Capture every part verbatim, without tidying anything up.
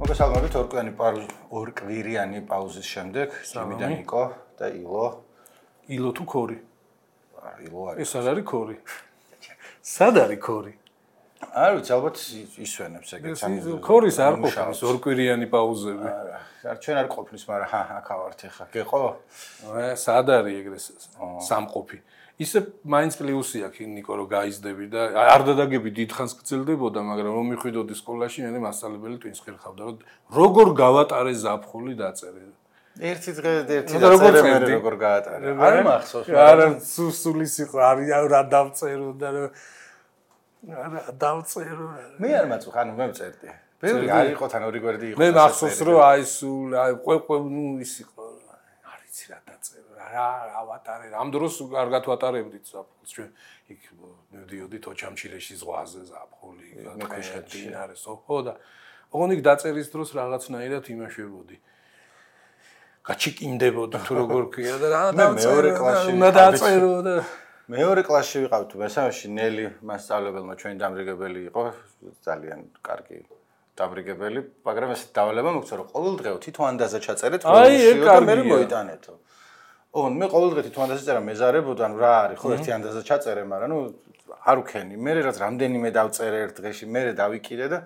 მოგესალმებით ორკვირიანი ორკვირიანი პაუზის შემდეგ ჯიმიდან ნიკო და ილო. ილო თუ ქორი? ილო არის. ეს არ არის ქორი. სად არის ქორი? არ ვიცი, ალბათ ისვენებს ეგეც. ქორის არ ყოფნის ორკვირიანი პაუზები. არ ჩვენ არ ყოფნის, მაგრამ ჰა, აქ ავართ ახლა. გეყო? სად არის ეგრე სამყოფი? ისე მაინც პლუსი აქვს ნიკო რომ გაიზდები და არ დადაგები დიდხანს გრძელდებოდა, მაგრამ რომ მიხვიდოდი სკოლაში, მე მასწავლებელი twins ხერხავდა, რომ როგორ გავატარე ზაფხული დაწერე. ერთი დღე ერთი დაწერე, მე როგორ გაატარე. არ მახსოვს. არა, სუსულის იყო, არ რა დავწერო და არა დავწერო. მე არ მაწუხ, ანუ მე ვწერდი. ბევრი არ იყო თან ორი გვერდი იყო. მე მახსოვს რომ აი სულ აი ყვე ნუ ის იყო. არ იცი რა დაწერო. რა ავატარე ამ დროს კარგად ვატარებდით ზაფხულს ჩვენ იქ მივდიოდით ოჩამჩილეში ზღვაზე ზაფხული ქვიშხეთში არისო ხო და ოღონდ იქ დაწერის დროს რაღაცნაირად იმაშებოდი გაჩიკინდებოდი თუ როგორ ქვია და რა მეორე კლასში დაწერო და მეორე კლასში ვიყავთ მესამეში ნელი მასწავლებელმა ჩვენი დამრიგებელი იყო ძალიან კარგი დამრიგებელი მაგრამ ეს დავალება მოგცა რომ ყოველდღიო თვითონ ანდაზა ჩაწერეთ ყოველდღიო და მე მოიტანეთო ოღონდ მე ყოველდღე თვითონ ანდაზა წერა მეზარებოდა ნუ რა არის ხო ერთი ანდაზა ჩაწერე მაგრამ ნუ არ უქენი მე რაც რამდენიმე დავწერე ერთ დღეში მე დავიკიდე და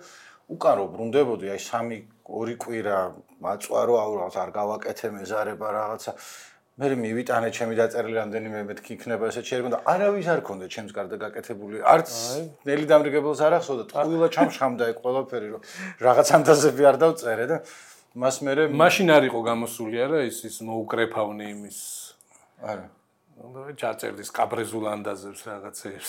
უკან რო ბრუნდებოდი აი სამი ორი კვირა მაწვარო აურავთ არ გავაკეთე მეზარება რაღაცა მე მივიტანე ჩემი დაწერილი რამდენიმე მეთქი იქნება ესე შეიძლება და არავის არ ქონდა ჩემს გარდა გაკეთებული არც ნელი დამრიგებელს არ ახსოვდა ტყუილა ჩამშხამდა ეგ ყველაფერი რომ რაღაც ანდაზები არ დავწერე და მას მე მაშინ არ იყო გამოსული არა ის ის მოუკრეფავნე იმის არა ნუ ჩაწერდი სკაბრეზულ ანდაზებს რაღაცებს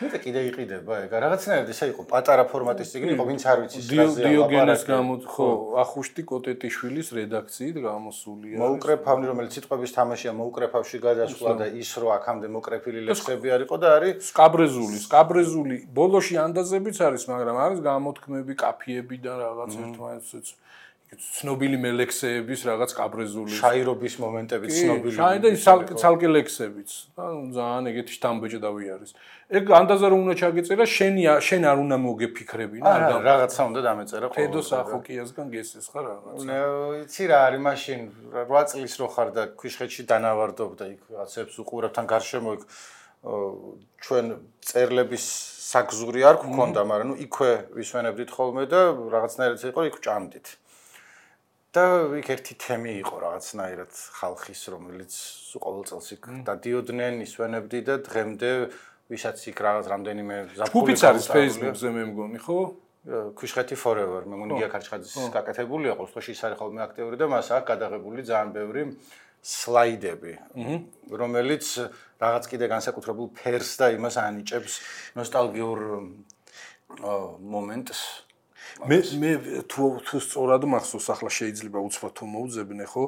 მე და კიდე იყიდება ეგ რაღაცნაირად ესე იყო პატარა ფორმატის წიგნი იყო ვინც არ ვიცის რაზე დიოგენეს გამო ხო ახუშტი კოტეტიშვილის რედაქციით გამოსულია მოუკრეფავნი რომელიც სიტყვების თამაშია მოუკრეფავში გადასვლა და ის რო აქამდე მოკრეფილი ლექსები არისო და არის სკაბრეზული სკაბრეზული ბოლოში ანდაზებიც არის მაგრამ არის გამოთქმები კაფიები და რაღაც ერთმანეთს ცნობილი მელექსეების რაღაც კაბრეზული შაირობის მომენტები ცნობილი შაი და ცალკე ლექსებიც ანუ ძალიან ეგეთი შთამბეჭდავი არის ეგ ანდაზა რომ უნდა ჩაგეწერა შენი შენ არ უნდა მოგეფიქრებინა არა რაღაცა უნდა დამეწერა ყოველდღე ფედოს ახოკიასგან გესეს ხარ რაღაცა ნე იცი რა არის მაშინ რვა წლის რო ხარ და ქვიშხეთში დანავარდობ და იქ რაღაცებს უყურებ თან გარშემო იქ ჩვენ წერლების საგზური არ გქონდა მაგრამ ნუ იქვე ვისვენებდით ხოლმე და რაღაცნაირად იყო იქ ჭამდით და იქ ერთი თემი იყო რაღაცნაირად ხალხის რომელიც ყოველ წელს იქ დადიოდნენ ისვენებდი და დღემდე ვისაც იქ რაღაც რამდენიმე ზაფხული ჯგუფიც არის Facebook-ზე მე მგონი ხო ქვიშხეთი forever მე მგონი გია ქარჩხაძის გაკეთებულია ყოველ შემთხვევაში ის არის ხოლმე აქტიური და მას აქვს გადაღებული ძალიან ბევრი სლაიდები რომელიც რაღაც კიდე განსაკუთრებულ ფერს და იმას ანიჭებს ნოსტალგიურ მომენტს მე მე თუ თუ სწორად მახსოვს ახლა შეიძლება უცბად თუ მოუძებნე ხო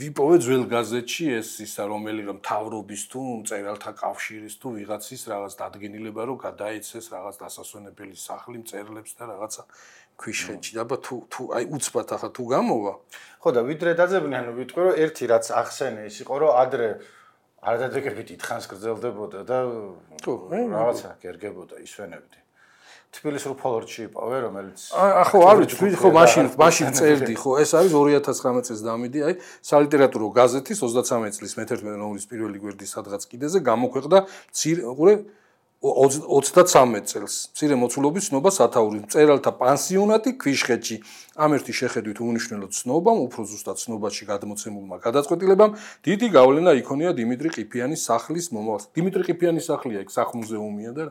ვიპოვე ძველ გაზეთში ეს ისა რომელი რომ თავრობის თუ მწერალთა კავშირის თუ ვიღაცის რაღაც დადგენილება რომ გადაეცეს რაღაც დასასვენებელი სახლი მწერლებს და რაღაცა ქვიშხეთში და თუ თუ აი უცბად ახლა თუ გამოვა ხო და ვიდრე დაძებნე ანუ ვიტყვი რომ ერთი რაც ახსენე ის იყო რომ ადრე არ დადგებით ითხანს გრძელდებოდა და რაღაცა გერგებოდა ისვენებდი თბილისურ ფოლორდში იპოვე რომელიც ახო არ ვიცი ხო მაშინ მაშინ წერდი ხო ეს არის ორი ათას ცხრამეტ წელს დამიდი აი სალიტერატურო გაზეთის ოცდაცამეტ წლის მეთერთმეტე ნომრის პირველი გვერდი სადღაც კიდეზე გამოქვეყნდა ყურე ოცდაცამეტ წელს მცირე მოცულობის ცნობა სათაური მწერალთა პანსიონატი ქვიშხეთში ამ ერთი შეხედვით უნიშნელო ცნობამ უფრო ზუსტად ცნობაში გადმოცემულმა გადაწყვეტილებამ დიდი გავლენა იქონია დიმიტრი ყიფიანის სახლის მომავალს დიმიტრი ყიფიანის სახლია იქ სახლ-მუზეუმია და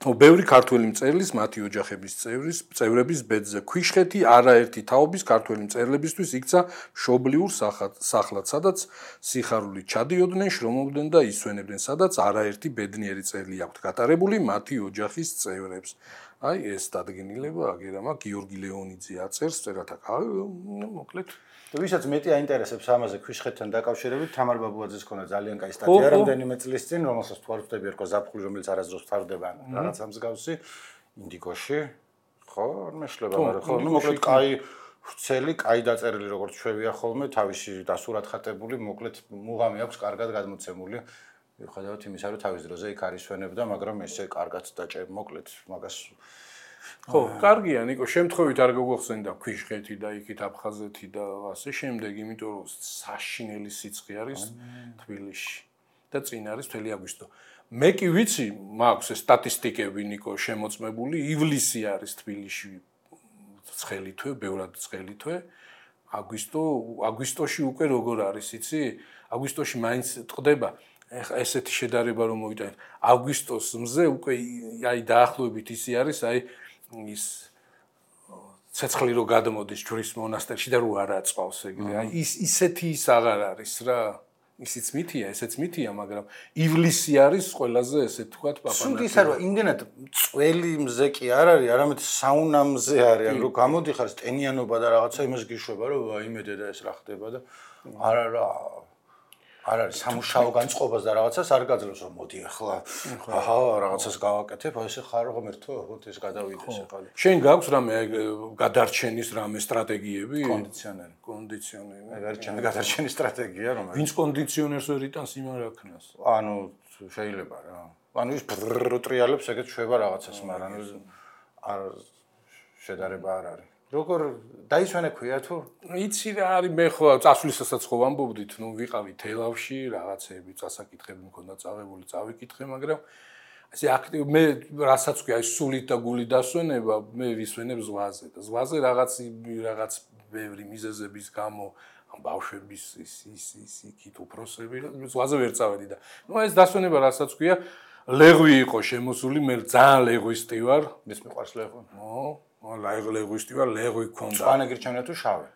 ო ბევრი ქართველი მწერლის მათი ოჯახების წევრის წევრების ბედზე ქვიშხეთი არაერთი თაობის ქართველი მწერლებისთვის იქცა მშობლიურ სახლად სადაც სიხარული ჩადიოდნენ შრომობდნენ და ისვენებდნენ სადაც არაერთი ბედნიერი წელი აქვთ გატარებული მათი ოჯახის წევრებს აი ეს დადგენილება აგერამა გიორგი ლეონიძე აწერს წერათა მოკლედ და ვისაც მეტი აინტერესებს ამაზე ქვიშხეთთან დაკავშირებით თამარ ბაბუაძეს ქონა ძალიან კაი სტატია რამდენიმე წლის წინ რომელსაც თუ არ ვხვდები ერქვა ზაფხული რომელიც არასდროს ფარდება რაღაცა მსგავსი ინდიგოში ხო არ მეშლება მაგრამ ხო ნუ მოკლედ კაი ვრცელი კაი დაწერილი როგორც ჩვევია ხოლმე თავისი დასურად ხატებული მოკლედ მუღამი აქვს კარგად გადმოცემული მიუხედავად იმისა რომ თავის დროზე იქ არის ვენებდა მაგრამ ესე კარგად დაჭერ მოკლედ მაგას ხო, კარგია, ნიკო, შემთხვევით არ გოგხსენდა ქვიშხეთი და იქით აფხაზეთი და ასე შემდეგ, იმიტომ რომ საშინელი სიცხე არის თბილისში და წინ არის მთელი აგვისტო. მე კი ვიცი, მაქვს ეს სტატისტიკები ნიკო შემოწმებული, ივლისი არის თბილისში ცხელი თვე, ბევრად ცხელი თვე. აგვისტო, აგვისტოში უკვე როგორ არის, იცი? აგვისტოში მაინც ტყდება. ეხა ესეთი შედარება რომ მოვიტანეთ. აგვისტოს მზე უკვე აი დაახლოებით ისი არის, აი ის ცეცხლი რო გადმოდის ჯვრის მონასტერში და რო არ აწვავს ეგრე. აი ის ისეთი ის აღარ არის რა. ისიც მითია, ესეც მითია, მაგრამ ივლისი არის ყველაზე ესე თქვა პაპანაკი. სულ ისა რომ იმდენად წველი მზე კი არ არის, არამედ საუნა მზე არის, ან რო გამოდიხარ ტენიანობა და რაღაცა იმას გიშვება, რომ აიმედე და ეს რა ხდება და არა რა არ არის სამუშაო განწყობას და რაღაცას არ გაძლევს რომ მოდი ახლა აჰა რაღაცას გავაკეთებ აი ესე ხარ ღმერთო ხოთ ეს გადავიდეს ახლა შენ გაქვს რამე გადარჩენის რამე სტრატეგიები კონდიციონერი კონდიციონერი მე გარჩენის გადარჩენის სტრატეგია რომ ვინც კონდიციონერს ვერ იტანს იმან რა ქნას ანუ შეიძლება რა ანუ ის ტრიალებს ეგეთ შვება რაღაცას მაგრამ არ შედარება არ არის როგორ დაისვენე ქვია თუ იცი რა არის მე ხო წასვლისასაც ხო ვამბობდით ნუ ვიყავი თელავში რაღაცეები წასაკითხები მქონდა წაღებული წავიკითხე მაგრამ ასე აქტივ მე რასაც ქვია ის სულით და გულით დასვენება მე ვისვენებ ზღვაზე და ზღვაზე რაღაც რაღაც ბევრი მიზეზების გამო ამ ბავშვების ის ის ის იქით უფროსები ზღვაზე ვერ წავედი და ნუ ეს დასვენება რასაც ქვია ლეღვი იყო შემოსული მე ძალიან ლეღვისტი ვარ ეს მიყვარს ლეღვი ო ლეღვისტი ვარ ლეღვი ქონდა მწვანე გირჩევნია თუ შავი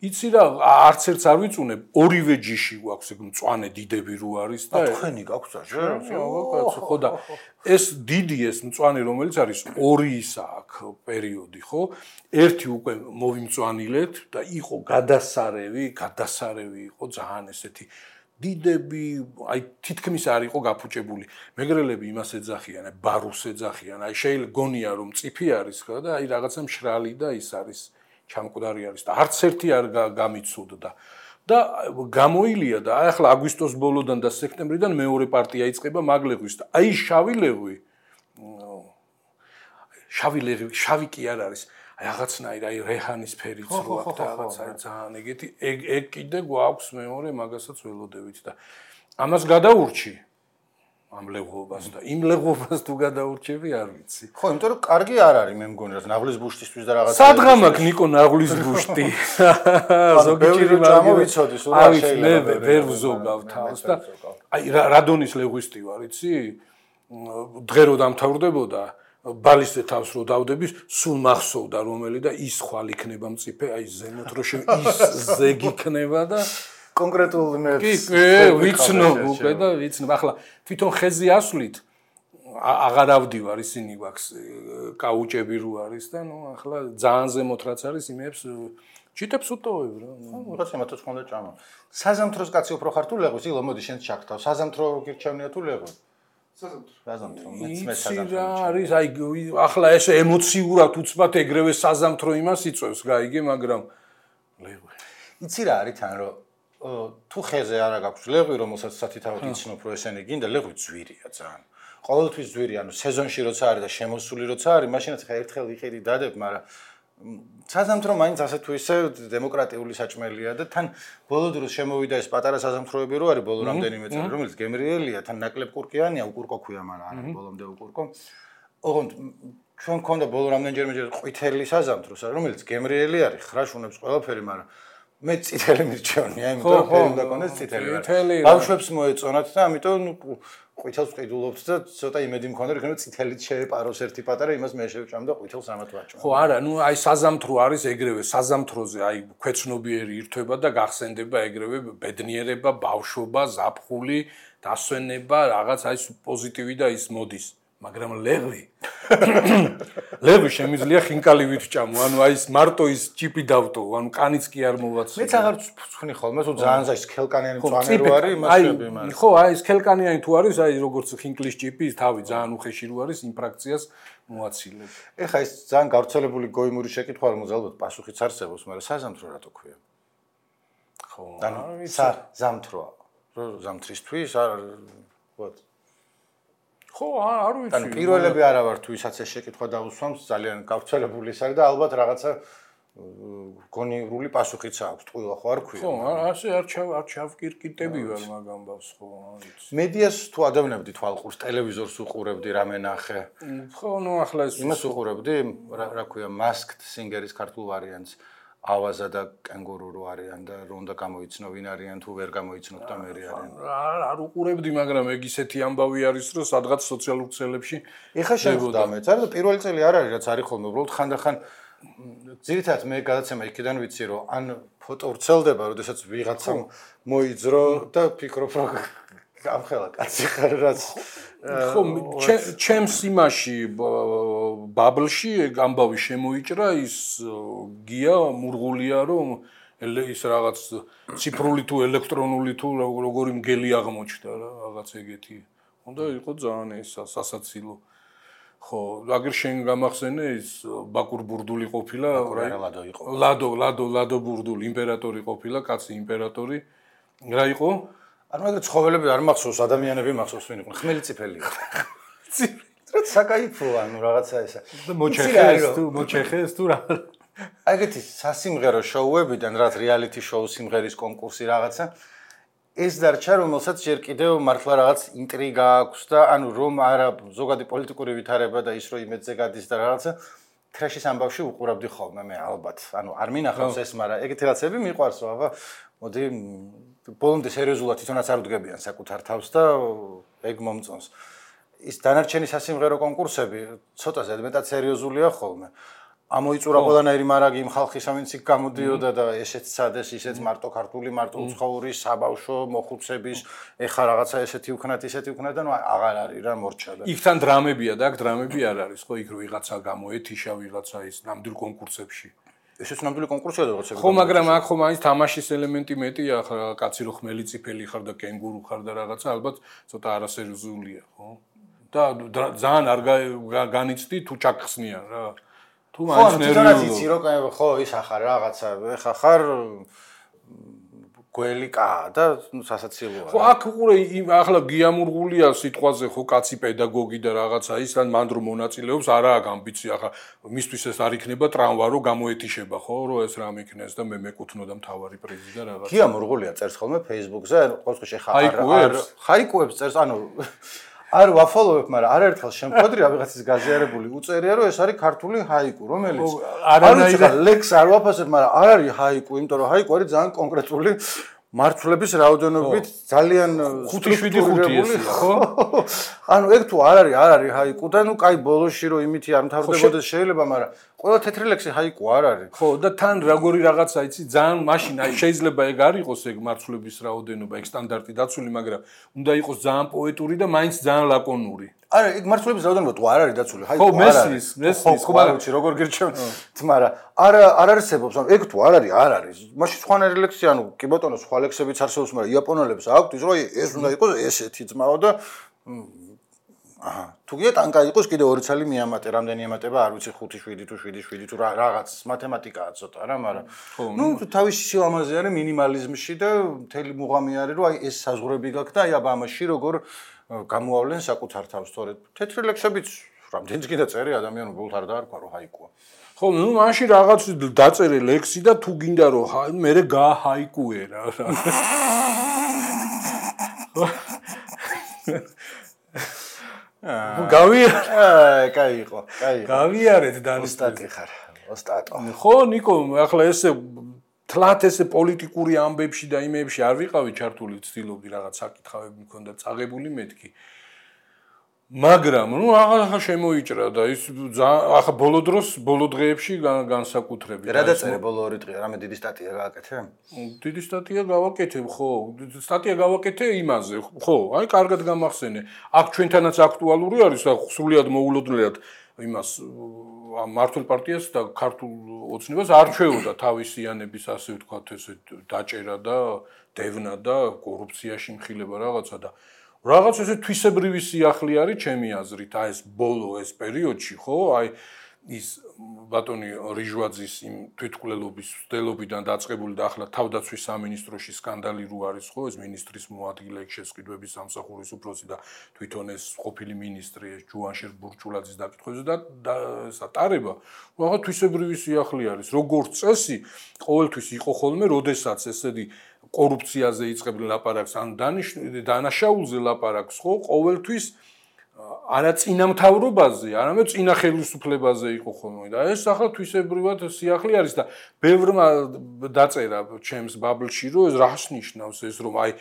იცი რა არც ერთს არ ვიწუნებ ორივე ჯიში გვაქვს ეგ მწვანე დიდები რო არის და თქვენი გაქვს საერთოდ კაცო ხო და ეს დიდი ეს მწვანე რომელიც არის ორი ისა აქვს პერიოდი ხო ერთი უკვე მოვიმწვანილეთ და იყო გადასარევი გადასარევი იყო ძალიან ესეთი დიდები აი თითქმის არ იყო გაფუჭებული მეგრელები იმას ეძახიან აი ბარუს ეძახიან აი შეიძლება გონია რომ წიფი არის ხო და აი რაღაცა მშრალი და ის არის ჩამკვდარი არის და არც ერთი არ გამიცუდდა და გამოილია და აი ახლა აგვისტოს ბოლოდან და სექტემბრიდან მეორე პარტია იწყება მაგლეღვის და აი შავი ლეღვი შავი ლეღვი შავი კი არ არის აი რაღაცნაირ აი რეჰანის ფერიც რო აქვს და რაღაცა ძალიან ეგეთი ეგ ეგ კიდე გვაქვს მეორე მაგასაც ველოდებით და ამას გადაურჩი ამ ლეღვობას და იმ ლეღვობას თუ გადაურჩები არ ვიცი ხო იმიტომ რომ კარგი არ არის მე მგონი რა ნაღლის ბუშტისთვის და რაღაცა სადღამ აქვს ნიკო ნაღლის ბუშტი ზოგი ჭირი გამოვიცოდი სულ რა შეიძლება მე ვერ ვზოგავ თავს და აი რადონის ლეღვისტი ვარ იცი დღე რო დამთავრდებოდა ბალისტე თავს რო დავდების სულ მახსოვდა რომელი და ის ხვალ იქნება მწიფე აი ზემოთ რო შე ის ზეგი იქნება და კონკრეტულ მე კი ვიცნობ უკვე და ვიცნობ ახლა თვითონ ხეზე ასვლით აღარ ავდივარ ისინი გვაქვს კაუჭები რო არის და ნუ ახლა ძალიან ზემოთ რაც არის იმებს ჩიტებს უტოვებ რა ნუ რაც იმათაც ხონდა ჭამა საზამთროს კაცი უფრო ხარ თუ ლეღვის ილო მოდი შენ ჩაქთავ საზამთრო გირჩევნია თუ ლეღვი საზამთრო მეც მე საზამთრო არის აი ახლა ესე ემოციურად უცბად ეგრევე საზამთრო იმას იწევს გაიგე მაგრამ ლეღვი იცი რა არის თან რომ თუ ხეზე არა გაქვს ლეღვი რომელსაც სათითაოდ იცნობ რომ ესენი გინდა ლეღვი ძვირია ძალიან ყოველთვის ძვირი ანუ სეზონში როცა არის და შემოსული როცა არის მაშინაც ხა ერთხელ იყიდი დადებ მაგრამ საზამთრო მაინც ასე თუ ისე დემოკრატიული საჭმელია და თან ბოლო დროს შემოვიდა ეს პატარა საზამთროები რო არის ბოლო რამდენიმე წელი რომელიც გემრიელია თან ნაკლებ კურკიანია უკურკო ქვია მაგრამ არა ბოლომდე უკურკო ოღონდ ჩვენ გქონდა ბოლო რამდენჯერმე ყვითელი საზამთრო რომელიც გემრიელი არის ხრაშუნებს ყველაფერი მაგრამ მე წითელი მირჩევნია იმიტომ რომ ფერი უნდა კონდეს წითელი ბავშვებს მოეწონათ და ამიტომ ნუ ყვითელს ყიდულობთ და ცოტა იმედი მქონდა რომ წითელით შეეპაროს ერთი პატარა იმას მე შევჭამ და ყვითელს ამათ ვაჭამ ხო არა ნუ აი საზამთრო არის ეგრევე საზამთროზე აი ქვეცნობიერი ირთვება და გახსენდება ეგრევე ბედნიერება ბავშვობა ზაფხული დასვენება რაღაც აი პოზიტივი და ის მოდის მაგრამ ლეღვი ლეღვი შემიძლია ხინკალივით ჭამო ანუ აი ეს მარტო ის ჭიპი დავტო ანუ კანიც კი არ მოვაცი მეც აღარ ვცხვინი ხოლმე თუ ძალიან ის ქელკანიანი მწვანე რო არის იმას შვები მაგრამ ხო აი ეს ქელკანიანი თუ არის აი როგორც ხინკლის ჭიპი თავი ძალიან უხეში რო არის იმ ფრაქციას მოაცილებ ეხა ეს ძალიან გავრცელებული გოიმური შეკითხვა რომ ალბათ პასუხიც არსებობს მაგრამ საზამთრო რატო ქვია ხო ანუ საზამთროა რო ზამთრისთვის არ ვთქვათ ხო, არ ვიცი. ანუ პირველები არა ვარ თუ ისაც ეს შეკითხვა დაუსვამს, ძალიან გავრცელებული ის არის და ალბათ რაღაცა გონივრული პასუხიც აქვს, ტყუილა ხო არ ქვია. ხო, ასე არ ჩავ არ ჩავკირკიტები ვარ მაგ ამბავს, ხო, არ ვიცი. მედიას თუ ადევნებდი თვალყურს, ტელევიზორს უყურებდი, რამე ნახე. ხო, ნუ ახლა ეს იმას უყურებდი, რა ქვია, Masked Singer-ის ქართულ ვარიანტს. ავაზა და კენგურუ რო არიან და რო უნდა გამოიცნო ვინ არიან თუ ვერ გამოიცნობ და მე არიან. არ არ უყურებდი, მაგრამ ეგ ისეთი ამბავი არის, რომ სადღაც სოციალურ ქსელებში ეხა შეხვდა მეც, არა და პირველი წელი არ არის, რაც არის ხოლმე, უბრალოდ ხანდახან ძირითადად მე გადაცემა იქიდან ვიცი, რომ ან ფოტო ვრცელდება, როდესაც ვიღაცამ მოიძრო და ფიქრობ, რომ გამხელა კაცი ხარ რაც ხო ჩემს იმაში ბაბლში ამბავი შემოიჭრა ის გია მურღულია რომ ის რაღაც ციფრული თუ ელექტრონული თუ როგორი მგელი აღმოჩნდა რა რაღაც ეგეთი უნდა იყო ძალიან ეს სასაცილო ხო აგერ შენ გამახსენე ის ბაკურ ბურდული ყოფილა ლადო იყო ლადო ლადო ლადო ბურდული იმპერატორი ყოფილა კაცი იმპერატორი რა იყო არ მაგრამ ცხოველები არ მახსოვს, ადამიანები მახსოვს ვინ იყვნენ, ხმელი წიფელი იყო. რა საკაიფოა, ანუ რაღაცა ესა. და მოჩეხეს თუ მოჩეხეს თუ რა. აგეთი სასიმღერო შოუებიდან, რაც რეალიტი შოუ სიმღერის კონკურსი რაღაცა, ეს დარჩა, რომელსაც ჯერ კიდევ მართლა რაღაც ინტრიგა აქვს და ანუ რომ არა ზოგადი პოლიტიკური ვითარება და ის რომ იმედზე გადის და რაღაცა ტრეშის ამბავში უყურებდი ხოლმე მე ალბათ. ანუ არ მინახავს ეს, მაგრამ ეგეთი რაღაცები მიყვარს, რა, აბა, მოდი ბოლომდე სერიოზულად თვითონაც არ უდგებიან საკუთარ თავს და ეგ მომწონს. ის დანარჩენი სასიმღერო კონკურსები ცოტა ზედმეტად სერიოზულია ხოლმე. ამოიწურა ყველანაირი მარაგი იმ ხალხისა, ვინც იქ გამოდიოდა და ესეც სადეს, ისეც მარტო ქართული, მარტო უცხოური, საბავშვო, მოხუცების, ეხა რაღაცა ესეთი უქნათ, ისეთი უქნათ და ნუ აღარ არის რა მორჩა და. იქთან დრამებია და აქ დრამები არ არის, ხო, იქ რო ვიღაცა გამოეთიშა ვიღაცა ის ნამდვილ კონკურსებში. ესეც ნამდვილი კონკურსია და რაღაცა. ხო, მაგრამ აქ ხომ არის თამაშის ელემენტი მეტია, ახლა კაცი რო ხმელი წიფელი ხარ და კენგურუ ხარ და რაღაცა, ალბათ ცოტა არასერიოზულია, ხო? და ძალიან არ განიცდი თუ ჩაგხსნიან რა. თუ მაინც ნერვიულო. ხო, იცი რომ ხო, ის ახარ რაღაცა, ეხა ხარ გველი კა და სასაცილოა. ხო, აქ უყურე ახლა გიამურღულია სიტყვაზე ხო კაცი პედაგოგი და რაღაცა ის ან მან რომ მონაწილეობს არა აქვს ამბიცია ახლა მისთვის ეს არ იქნება ტრამვა რომ გამოეთიშება ხო რომ ეს რამ იქნეს და მე მეკუთვნოდა მთავარი პრიზი და რაღაცა. გიამურღულია წერს ხოლმე Facebook-ზე, ყოველ შემთხვევაში ხა არ ხაიკუებს წერს, ანუ არ ვაფოლოვებ, მაგრამ არაერთხელ შემხვედრია ვიღაცის გაზიარებული უწერია რომ ეს არის ქართული ჰაიკუ, რომელიც არანაირად ლექს არ ვაფასებ, მაგრამ არ არის ჰაიკუ, იმიტომ რომ ჰაიკუ არის ძალიან კონკრეტული მარცვლების რაოდენობით ძალიან ხუთი შვიდი ხუთი ესია, ხო? ანუ ეგ თუ არ არის, არ არის ჰაიკუ და ნუ კაი ბოლოში რომ იმითი არ მთავრდებოდეს შეიძლება, მაგრამ ყველა თეთრი ლექსი ჰაიკუ არ არის. ხო, და თან როგორი რაღაცა იცი, ძალიან მაშინ აი შეიძლება ეგ არ იყოს ეგ მარცვლების რაოდენობა, ეგ სტანდარტი დაცული, მაგრამ უნდა იყოს ძალიან პოეტური და მაინც ძალიან ლაკონური. არა, ეგ მარცვლების რაოდენობა თუ არ არის დაცული, ჰაიკუ არ არის. ხო, მესმის, მესმის, ხო, მაგრამ ვიცი როგორ გირჩევ, მაგრამ არა არ არსებობს, ანუ ეგ თუ არ არის, არ არის. მაშინ სხვანაირი ლექსი, ანუ კი ბატონო, სხვა ლექსებიც არსებობს, მაგრამ იაპონელებს აქვთ ის რომ ეს უნდა იყოს ესეთი ძმაო და აჰა, თუ გია ტანკა იყოს კიდე ორი ცალი მიამატე, რამდენი ემატება, არ ვიცი ხუთი შვიდი თუ შვიდი შვიდი თუ რაღაც მათემატიკაა ცოტა რა, მაგრამ ნუ თავისი სილამაზე არის მინიმალიზმში და მთელი მუღამი არის რომ აი ეს საზღვრები გაქვს და აი აბა ამაში როგორ გამოავლენ საკუთარ თავს, თორე თეთრი ლექსებიც რამდენიც კიდე წერე ადამიანო ბოლოს არ დაარქვა რომ ჰაიკუა. ხო, ნუ მაშინ რაღაც დაწერე ლექსი და თუ გინდა რომ მე გაჰაიკუე რა. გავიარე. აა, კაი იყო, კაი იყო. გავიარეთ და ოსტატი ხარ, ოსტატო. ხო, ნიკო, ახლა ესე თლათ ესე პოლიტიკური ამბებში და იმებში არ ვიყავი ჩართული, ვცდილობდი რაღაც საკითხავები მქონდა წაღებული მეთქი. მაგრამ, ნუ ახლა შემოიჭრა და ის ახლა ბოლო დროს, ბოლო დღეებში განსაკუთრებით. რა დაწერე ბოლო ორი დღე, რამე დიდი სტატია გააკეთე? დიდი სტატია გავაკეთე, ხო, სტატია გავაკეთე იმაზე, ხო, აი კარგად გამახსენე. აქ ჩვენთანაც აქტუალური არის, სრულიად მოულოდნელად იმას მართულ პარტიას და ქართულ ოცნებას არჩეოდა თავისიანების ასე ვთქვათ, ესე დაჭერა და დევნა და კორუფციაში მხილება რაღაცა და რაღაც ესე თვისებრივი სიახლე არის ჩემი აზრით, აი ეს ბოლო ეს პერიოდში, ხო? აი ის ბატონი რიჟვაძის იმ თვითმკვლელობის მცდელობიდან დაწყებული და ახლა თავდაცვის სამინისტროში სკანდალი რო არის ხო ეს მინისტრის მოადგილე შესყიდვების სამსახურის უფროსი და თვითონ ეს ყოფილი მინისტრი ეს ჯუანშერ ბურჩულაძის დაკითხვებზე და სატარება რაღაც თვისებრივი სიახლე არის როგორც წესი ყოველთვის იყო ხოლმე როდესაც ესეთი კორუფციაზე იწყებდნენ ლაპარაკს ან დანაშაულზე ლაპარაკს ხო ყოველთვის არა წინამთავრობაზე, არამედ წინა ხელისუფლებაზე იყო ხოლმე და ეს ახლა თვისებრივად სიახლე არის და ბევრმა დაწერა ჩემს ბაბლში რომ ეს რას ნიშნავს ეს რომ აი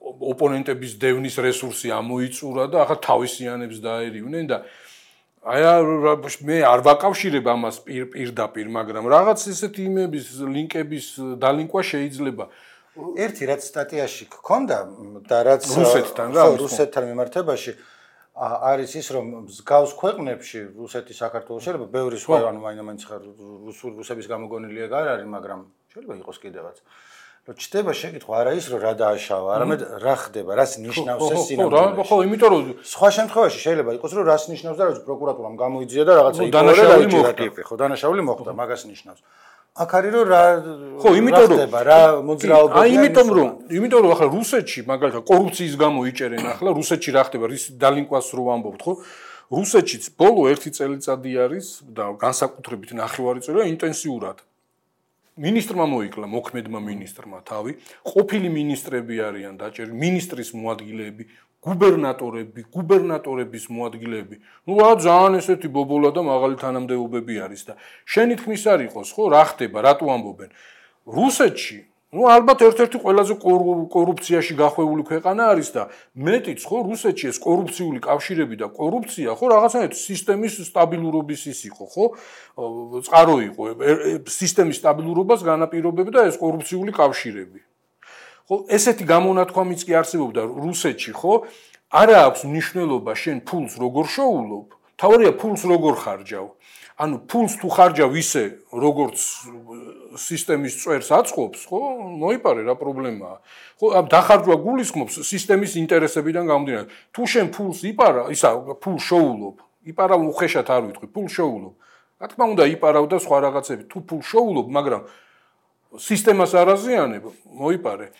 ოპონენტების დევნის რესურსი ამოიწურა და ახლა თავისიანებს დაერივნენ და აი მე არ ვაკავშირებ ამას პირდაპირ, მაგრამ რაღაც ესეთი იმების ლინკების დალინკვა შეიძლება ერთი რაც სტატიაში გქონდა და რაც რუსეთთან რა რუსეთთან მიმართებაში არის ის რომ მსგავს ქვეყნებში რუსეთი საქართველოს შეიძლება ბევრი სხვა ანუ მაინც ხარ რუსების გამოგონილი ეგ არ არის მაგრამ შეიძლება იყოს კიდევაც რომ ჩდება შეკითხვა არა ის რომ რა დააშავა არამედ რა ხდება რას ნიშნავს ეს სინამდვილეში ხო იმიტომ რომ სხვა შემთხვევაში შეიძლება იყოს რომ რას ნიშნავს და რა პროკურატურამ გამოიძია და რაღაცა იპოვე და დაიჭირა ტიპი ხო დანაშაული მოხდა მაგას ნიშნავს აქ არის რომ რა ხო იმიტომ რომ რა მოძრაობები აი იმიტომ რომ იმიტომ რომ ახლა რუსეთში მაგალითად კორუფციის გამო იჭერენ ახლა რუსეთში რა ხდება რის დალინკვას რო ვამბობთ ხო რუსეთშიც ბოლო ერთი წელიწადი არის და განსაკუთრებით ნახევარი წელია ინტენსიურად მინისტრმა მოიკლა მოქმედმა მინისტრმა თავი ყოფილი მინისტრები არიან დაჭერილი მინისტრის მოადგილეები გუბერნატორები გუბერნატორების მოადგილეები ну რა ძალიან ესეთი ბობოლა და მაღალი თანამდებობები არის და შენი თქმის არ იყოს ხო რა ხდება რატო ამბობენ რუსეთში ну ალბათ ერთ-ერთი ყველაზე კორუფციაში გახვეული ქვეყანა არის და მეტიც ხო რუსეთში ეს კორუფციული კავშირები და კორუფცია ხო რაღაცნაირად სისტემის სტაბილურობის ის იყო ხო წყარო იყო სისტემის სტაბილურობას განაპირობებდა ეს კორუფციული კავშირები ხო ესეთი გამონათქვამიც კი არსებობდა რუსეთში ხო არა აქვს მნიშვნელობა შენ ფულს როგორ შოულობ თავარია ფულს როგორ ხარჯავ ანუ ფულს თუ ხარჯავ ისე როგორც სისტემის წვერს აწყობს ხო მოიპარე რა პრობლემაა ხო ამ დახარჯვა გულისხმობს სისტემის ინტერესებიდან გამომდინარე თუ შენ ფულს იპარა ისა ფულს შოულობ იპარა უხეშად არ ვიტყვი ფულს შოულობ რა თქმა უნდა იპარავ და სხვა რაღაცები თუ ფულს შოულობ მაგრამ სისტემას არ აზიანებ მოიპარე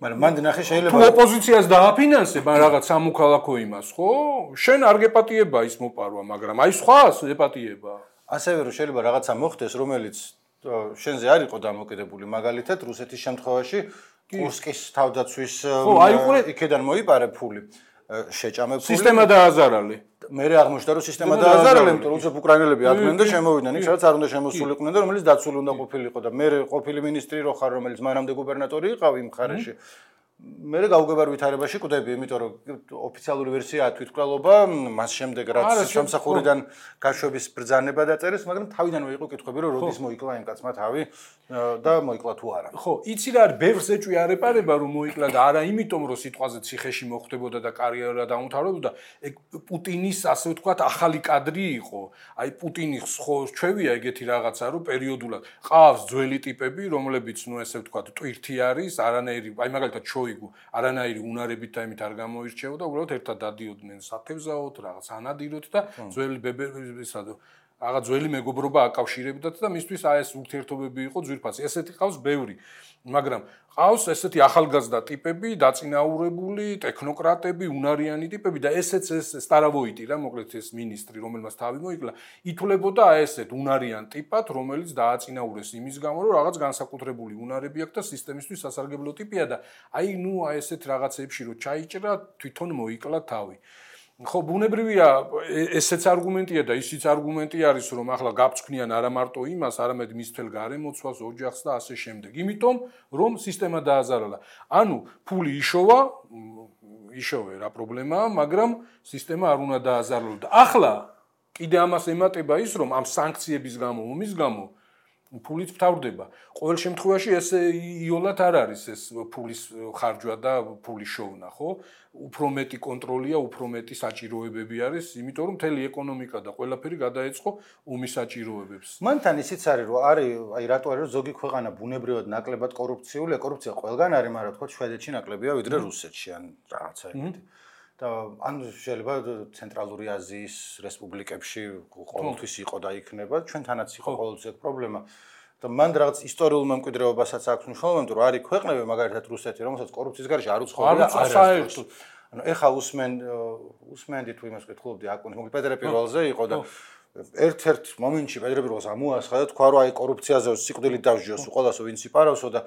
მაგრამ მანდ ნახე შეიძლება თუ ოპოზიციას დააფინანსებ ან რაღაც სამოქალაქო იმას ხო შენ არ გეპატიება ის მოპარვა მაგრამ აი სხვას ეპატიება ასევე რომ შეიძლება რაღაცა მოხდეს რომელიც შენზე არ იყო დამოკიდებული მაგალითად რუსეთის შემთხვევაში კურსკის თავდაცვის იქიდან მოიპარე ფული შეჭამე ფული სისტემა დააზარალე მე აღმოჩნდა რომ სისტემა დააზარალე იმიტომ რომ უცებ უკრაინელები აკვდნენ და შემოვიდნენ იქ სადაც არ უნდა შემოსულიყვნენ და რომელიც დაცული უნდა ყოფილიყო და მე ყოფილი მინისტრი რო ხარ რომელიც მანამდე გუბერნატორი იყავ იმ მხარეში მე გავუგებარ ვითარებაში კვდები იმიტომ რომ ოფიციალური ვერსიაა თვითმკვლელობა მას შემდეგ რაც სამსახურიდან გაშვების ბრძანება დაწერეს მაგრამ თავიდანვე იყო კითხვები რომ როდის მოიკლა იმ კაცმა თავი და მოიკლა თუ არა ხო იცი რა არის ბევრს ეჭვი არ ეპარება რომ მოიკლა და არა იმიტომ რომ სიტყვაზე ციხეში მოხდებოდა და კარიერა დაუმთავრებოდა ეგ პუტინის ასე ვთქვათ ახალი კადრი იყო აი პუტინის ხო ჩვევია ეგეთი რაღაცა რომ პერიოდულად ყავს ძველი ტიპები რომლებიც ნუ ესე ვთქვათ ტვირთი არის არანაირი აი მაგალითად შოიგუ არანაირი უნარებით და იმით არ გამოირჩეოდა უბრალოდ ერთად დადიოდნენ სათევზაოდ რაღაც ანადიროთ და ძველი ბებებისა და რაღაც ძველი მეგობრობა აკავშირებდათ და მისთვის აი ეს ურთიერთობები იყო ძვირფასი ესეთი ყავს ბევრი მაგრამ ყავს ესეთი ახალგაზრდა ტიპები დაწინაურებული ტექნოკრატები უნარიანი ტიპები და ესეც ეს სტარავოიტი რა მოკლედ ეს მინისტრი რომელმაც თავი მოიკლა ითვლებოდა აი ესეთ უნარიან ტიპად რომელიც დააწინაურეს იმის გამო რომ რაღაც განსაკუთრებული უნარები აქვს და სისტემისთვის სასარგებლო ტიპია და აი ნუ აი ესეთ რაღაცებში რომ ჩაიჭრა თვითონ მოიკლა თავი ხო ბუნებრივია ესეც არგუმენტია და ისიც არგუმენტი არის რომ ახლა გაფრთხნიან არა მარტო იმას არამედ მის თელ გარემოცვას ოჯახს და ასე შემდეგ იმიტომ რომ სისტემა დააზარალა ანუ ფული იშოვა იშოვე რა პრობლემაა მაგრამ სისტემა არ უნდა დააზარალო და ახლა კიდე ამას ემატება ის რომ ამ სანქციების გამო ომის გამო ფულიც ფთავრდება. ყოველ შემთხვევაში ეს იოლად არ არის ეს ფულის ხარჯვა და ფულის შოვნა, ხო? უფრო მეტი კონტროლია, უფრო მეტი საჭიროებები არის, იმიტომ რომ მთელი ეკონომიკა და ყველაფერი გადაეწყო ომის საჭიროებებს. მანთან ისიც არის, რომ არის, აი რატო არის, რომ ზოგი ქვეყანა ბუნებრივად ნაკლებად კორუფციულია, კორუფცია ყველგან არის, მაგრამ თქო შვედეთში ნაკლებია ვიდრე რუსეთში ან რაღაცა ეგეთი. და ან შეიძლება ცენტრალური აზიის რესპუბლიკებში ყოველთვის იყო და იქნება, ჩვენთანაც იყო ყოველთვის ეს პრობლემა. და მან რაღაც ისტორიულ მემკვიდრეობასაც აქვს მნიშვნელობა, იმიტომ რომ არის ქვეყნები, მაგალითად რუსეთი, რომელსაც კორუფციის გარეშე არ უცხოვრია საერთოდ. ანუ ეხა უსმენ უსმენდი თუ იმას ვკითხულობდი აკუნის, მოკლედ პეტრე პირველზე იყო და ერთ-ერთ მომენტში პეტრე პირველს ამოასხა და თქვა რომ აი კორუფციაზე სიკვდილით დავსჯიოს ყველასო ვინც იპარავსო და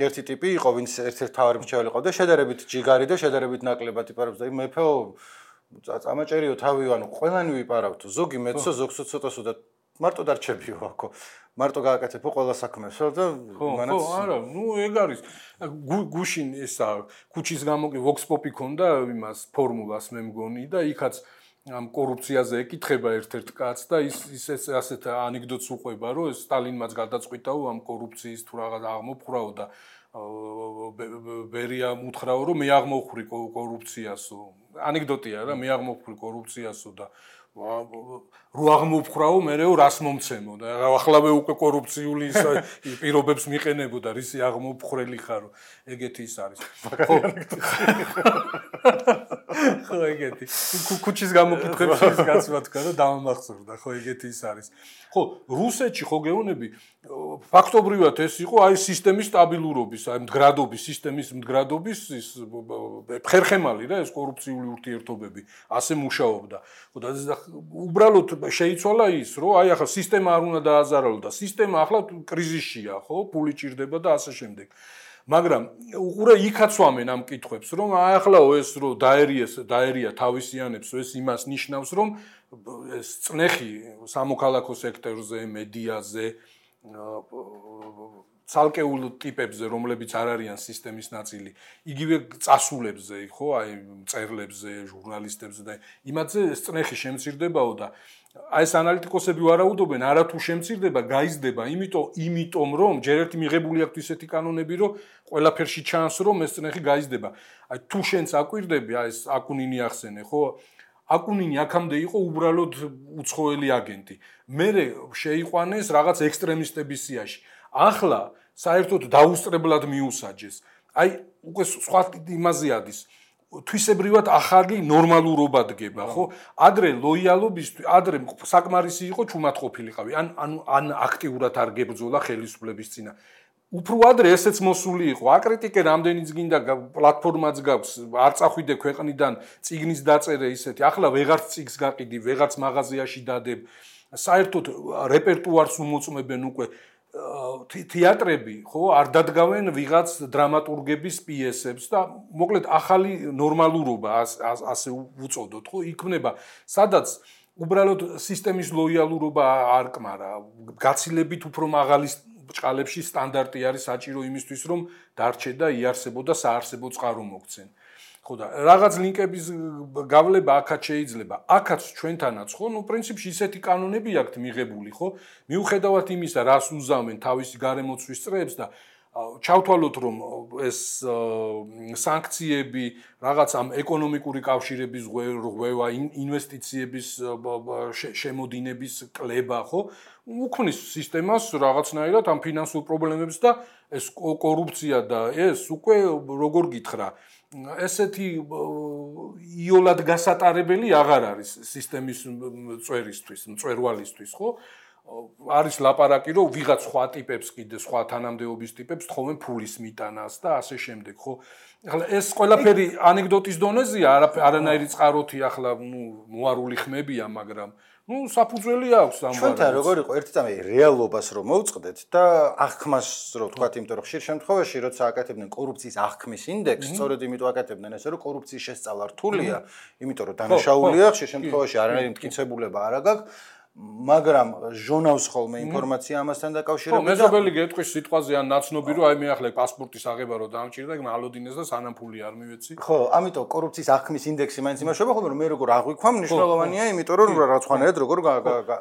ერთი ტიპი იყო ვინც ერთ-ერთ თავარი მრჩეველი იყო და შედარებით ჯიგარი და შედარებით ნაკლებად იპარავს და მეფეო წამაჭერიო თავიო ანუ ყველანი ვიპარავთ ზოგი მეცო ზოგს ცოტასო და მარტო დარჩებიო აქო მარტო გააკეთებო ყველა საქმესო და მანაც ხო არა ნუ ეგ არის გუშინ ესა ქუჩის გამო კი ვოქს პოპი ქონდა იმას ფორმულას მე მგონი და იქაც ამ კორუფციაზე ეკითხება ერთ-ერთ კაცს და ის ის ასეთ ანეკდოტს უყვება რომ სტალინმაც გადაწყვიტაო ამ კორუფციის თუ რაღაც აღმოფხვრაო და ბერია უთხრაო რომ მე აღმოვხვრი კორუფციასო ანეკდოტია რა მე აღმოვხვრი კორუფციასო და რო აღმოვხვრაო მერეო რას მომცემო და ახლავე უკვე კორუფციული პირობებს მიყენებო და რისი აღმოვხვრელი ხარო ეგეთი ის არის ხო ხო ეგეთი ქუჩის გამოკითხებში ის გაცვა თქვა და დამამახსოვრდა ხო ეგეთი ის არის ხო რუსეთში ხო გეუბნები ფაქტობრივად ეს იყო აი სისტემის სტაბილურობის აი მდგრადობის სისტემის მდგრადობის ის ხერხემალი რა ეს კორუფციული ურთიერთობები ასე მუშაობდა ხო და უბრალოდ შეიცვალა ის რომ აი ახლა სისტემა არ უნდა დააზარალო და სისტემა ახლა კრიზისშია ხო ფული ჭირდება და ასე შემდეგ მაგრამ უყურე იქაც ვამენ ამ კითხვებს რომ აი ახლა ეს რომ დაერიეს დაერია თავისიანებს ეს იმას ნიშნავს რომ ეს წნეხი სამოქალაქო სექტორზე მედიაზე ცალკეულ ტიპებზე რომლებიც არ არიან სისტემის ნაწილი იგივე წასულებზე ხო აი მწერლებზე ჟურნალისტებზე და იმათზე წნეხი შემცირდებაო და აი ეს ანალიტიკოსები ვარაუდობენ არათუ შემცირდება გაიზრდება იმიტომ იმიტომ რომ ჯერ ერთი მიღებული აქვს ისეთი კანონები რომ ყველაფერში ჩანს რომ ეს წნეხი გაიზრდება აი თუ შენც აკვირდები აი ეს აკუნინი ახსენე ხო აკუნინი აქამდე იყო უბრალოდ უცხოელი აგენტი მერე შეიყვანეს რაღაც ექსტრემისტების სიაში ახლა საერთოდ დაუსწრებლად მიუსაჯეს აი უკვე სხვა იმაზე ადის თვისებრივად ახალი ნორმალურობა დგება ხო ადრე ლოიალობისთვის ადრე საკმარისი იყო ჩუმად ყოფილიყავი ან ან ან აქტიურად არ გებრძოლა ხელისუფლების წინა უფრო ადრე ესეც მოსული იყო აკრიტიკე რამდენიც გინდა პლატფორმაც გაქვს არ წახვიდე ქვეყნიდან წიგნის დაწერე ისეთი ახლა ვეღარც წიგს გაყიდი ვეღარც მაღაზიაში დადებ საერთოდ რეპერტუარს უმოწმებენ უკვე თეატრები ხო არ დადგავენ ვიღაც დრამატურგების პიესებს და მოკლედ ახალი ნორმალურობა ასე უწოდოთ ხო იქმნება სადაც უბრალოდ სისტემის ლოიალურობა არ კმარა გაცილებით უფრო მაღალი ბრჭყალებში სტანდარტი არის საჭირო იმისთვის რომ დარჩე და იარსებო და საარსებო წყარო მოგცენ ხო და რაღაც ლინკების გავლება აქაც შეიძლება აქაც ჩვენთანაც ხო ნუ პრინციპში ისეთი კანონები აქვთ მიღებული ხო მიუხედავად იმისა რას უზავენ თავისი გარემოცვის წრეებს და ჩავთვალოთ რომ ეს სანქციები რაღაც ამ ეკონომიკური კავშირების ღვევა ინვესტიციების შემოდინების კლება ხო უქმნის სისტემას რაღაცნაირად ამ ფინანსურ პრობლემებს და ეს კორუფცია და ეს უკვე როგორ გითხრა ესეთი იოლად გასატარებელი აღარ არის სისტემის წვერისთვის, მწვერვალისთვის, ხო? არის ლაპარაკი, რომ ვიღაც სხვა ტიპებს კიდე სხვა თანამდებობის ტიპებს თხოვენ ფულის მიტანას და ასე შემდეგ, ხო? ახლა ეს ყველაფერი ანეკდოტის დონეზეა, არანაირი წყაროთი ახლა, ნუ, მოარული ხმებია, მაგრამ ნუ საფუძველი აქვს ამ ვარიანტს. ჩვენთან როგორ იყო ერთი წამი რეალობას რომ მოვწყდეთ და აღქმას რომ ვთქვათ, იმიტომ რომ ხშირ შემთხვევაში როცა აკეთებდნენ კორუფციის აღქმის ინდექსს, სწორედ იმიტომ აკეთებდნენ ესე რომ კორუფციის შესწავლა რთულია, იმიტომ რომ დანაშაულია, ხშირ შემთხვევაში არანაირი მტკიცებულება არ აქვს. მაგრამ ჟონავს ხოლმე ინფორმაცია ამასთან დაკავშირებით. ხო, მეზობელი გეტყვის სიტყვაზე ან ნაცნობი რომ აი მე ახლა პასპორტის აღება რომ დამჭირდა, მალოდინეს და სანამ ფული არ მივეცი. ხო, ამიტომ კორუფციის აღქმის ინდექსი მაინც იმაშობა ხოლმე რომ მე როგორ აღვიქვამ, მნიშვნელოვანია, იმიტომ რომ რაღაცხანერად როგორ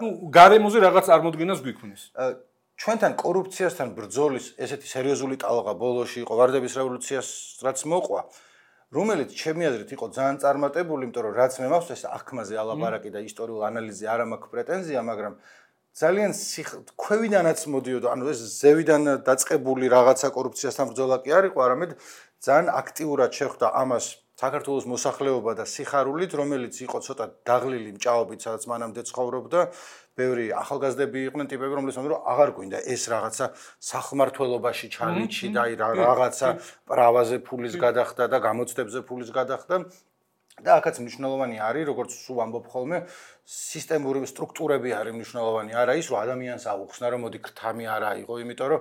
ნუ გარემოზე რაღაც წარმოდგენას გვიქმნის. ჩვენთან კორუფციასთან ბრძოლის ესეთი სერიოზული ტალღა ბოლოში იყო ვარდების რევოლუციას რაც მოყვა. რომელიც ჩემი აზრით იყო ძალიან წარმატებული, იმიტომ რომ რაც მე მაქვს ეს აღქმაზე ალაპარაკი და ისტორიულ ანალიზზე არ მაქვს პრეტენზია, მაგრამ ძალიან ქვევიდანაც მოდიოდა, ანუ ეს ზევიდან დაწყებული რაღაცა კორუფციასთან ბრძოლა კი არ იყო, არამედ ძალიან აქტიურად შეხვდა ამას საქართველოს მოსახლეობა და სიხარულით, რომელიც იყო ცოტა დაღლილი მჭაობით, სადაც მანამდე ცხოვრობდა, ბევრი ახალგაზრდები იყვნენ ტიპები, რომლებიც ამბობენ, რომ აღარ გვინდა ეს რაღაცა სახმართველობაში ჩალიჩი და აი რაღაცა პრავაზე ფულის გადახდა და გამოცდებზე ფულის გადახდა. და აქაც მნიშვნელოვანი არის, როგორც სულ ამბობ ხოლმე, სისტემური სტრუქტურები არის მნიშვნელოვანი. არა ის, რომ ადამიანს აუხსნა, რომ მოდი ქრთამი არ აიღო, იმიტომ რომ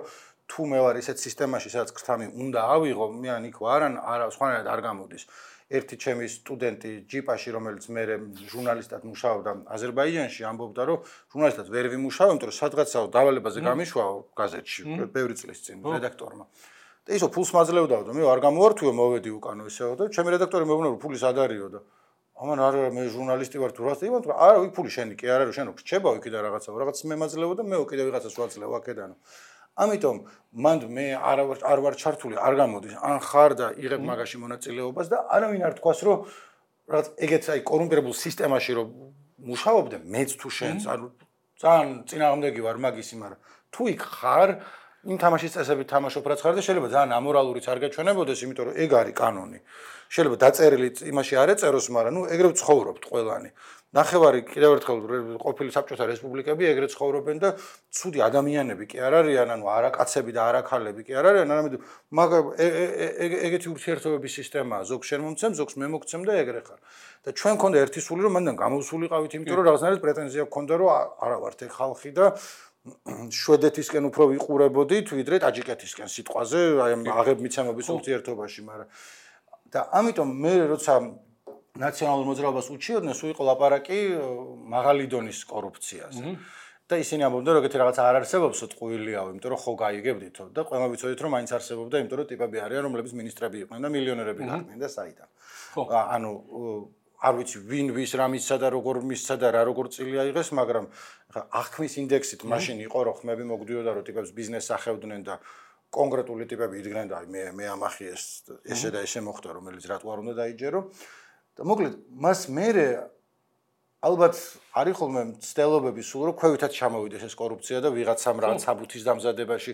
თუ მე ვარ ისეთ სისტემაში, სადაც ქრთამი უნდა ავიღო, მე ან იქ ვარ, ან არა, სხვანაირად არ გამოდის. ერთი ჩემი სტუდენტი ჯიპაში, რომელიც მე ჟურნალისტად მუშაობდა აზერბაიჯანში, ამბობდა, რომ ჟურნალისტად ვერ ვიმუშაო, იმიტომ რომ სადღაცაო დავალებაზე გამიშვაო გაზეთში, ბევრი წლის წინ რედაქტორმა. და ისო ფულს მაძლევდაო და მე არ გამოვართვიო, მოვედი უკანო ესეო და ჩემი რედაქტორი მეუბნა, რომ ფულის ადარიო და ამან არა მე ჟურნალისტი ვარ თუ რას იმან თუ არა ვი ფული შენი კი არა რომ შენ გრჩებაო იქიდან რაღაცა რაღაც მე მაძლევო და მე კიდე ვიღაცას ვაძლევ აქედანო. ამიტომ მანდ მე არ ვარ არ ვარ ჩართული, არ გამოდის. ან ხარ და იღებ მაგაში მონაწილეობას და არავინ არ თქვას, რომ რაღაც ეგეც აი კორუმპირებულ სისტემაში რომ მუშაობდე, მეც თუ შენც არ ძალიან წინააღმდეგი ვარ მაგისი, მაგრამ თუ იქ ხარ იმ თამაშის წესებით თამაშობ რაც ხარ და შეიძლება ძალიან ამორალურიც არ გაჩვენებოდეს, იმიტომ რომ ეგ არის კანონი. შეიძლება დაწერილი იმაში არ ეწეროს, მაგრამ ნუ ეგრევე ცხოვრობთ ყველანი. ნახევარი კიდევ ერთხელ ყოფილი საბჭოთა რესპუბლიკები ეგრე ცხოვრობენ და ცუდი ადამიანები კი არ არიან, ანუ არა კაცები და არა ქალები კი არ არიან, არამედ მაგ ეგეთი ურთიერთობების სისტემაა, ზოგ შენ მომცემ, ზოგს მე მოგცემ და ეგრე ხარ. და ჩვენ მქონდა ერთი სული, რომ მანდან გამოვსულიყავით, იმიტომ რომ რაღაცნაირად პრეტენზია გქონდა, რომ არა ვართ ეგ ხალხი და შვედეთისკენ უფრო ვიყურებოდით, ვიდრე ტაჯიკეთისკენ სიტყვაზე, აი ამ აღებმიცემობის ურთიერთობაში, მაგრამ და ამიტომ მე როცა ნაციონალურ მოძრაობას უჩიოდნენ, სულ იყო ლაპარაკი მაღალი დონის კორუფციაზე. და ისინი ამბობდნენ, რომ ეგეთი რაღაცა არ არსებობს, ტყუილიაო, იმიტომ რომ ხო გაიგებდითო და ყველა ვიცოდით, რომ მაინც არსებობდა, იმიტომ რომ ტიპები არიან, რომლებიც მინისტრები იყვნენ და მილიონერები გახდნენ და საიდან. ანუ არ ვიცი ვინ ვის რა მისცა და როგორ მისცა და რა როგორ წილი აიღეს, მაგრამ ხა აღქმის ინდექსით მაშინ იყო, რომ ხმები მოგდიოდა, რომ ტიპებს ბიზნესს ახევდნენ და კონკრეტული ტიპები იდგნენ და აი მე მე ამახი ეს ესე და ესე მოხდა, რომელიც რატო არ უნდა დაიჯერო. და მოკლედ მას მერე ალბათ არის ხოლმე ცდელობები სულ რომ ქვევითაც ჩამოვიდეს ეს კორუფცია და ვიღაცამ რაღაც საბუთის დამზადებაში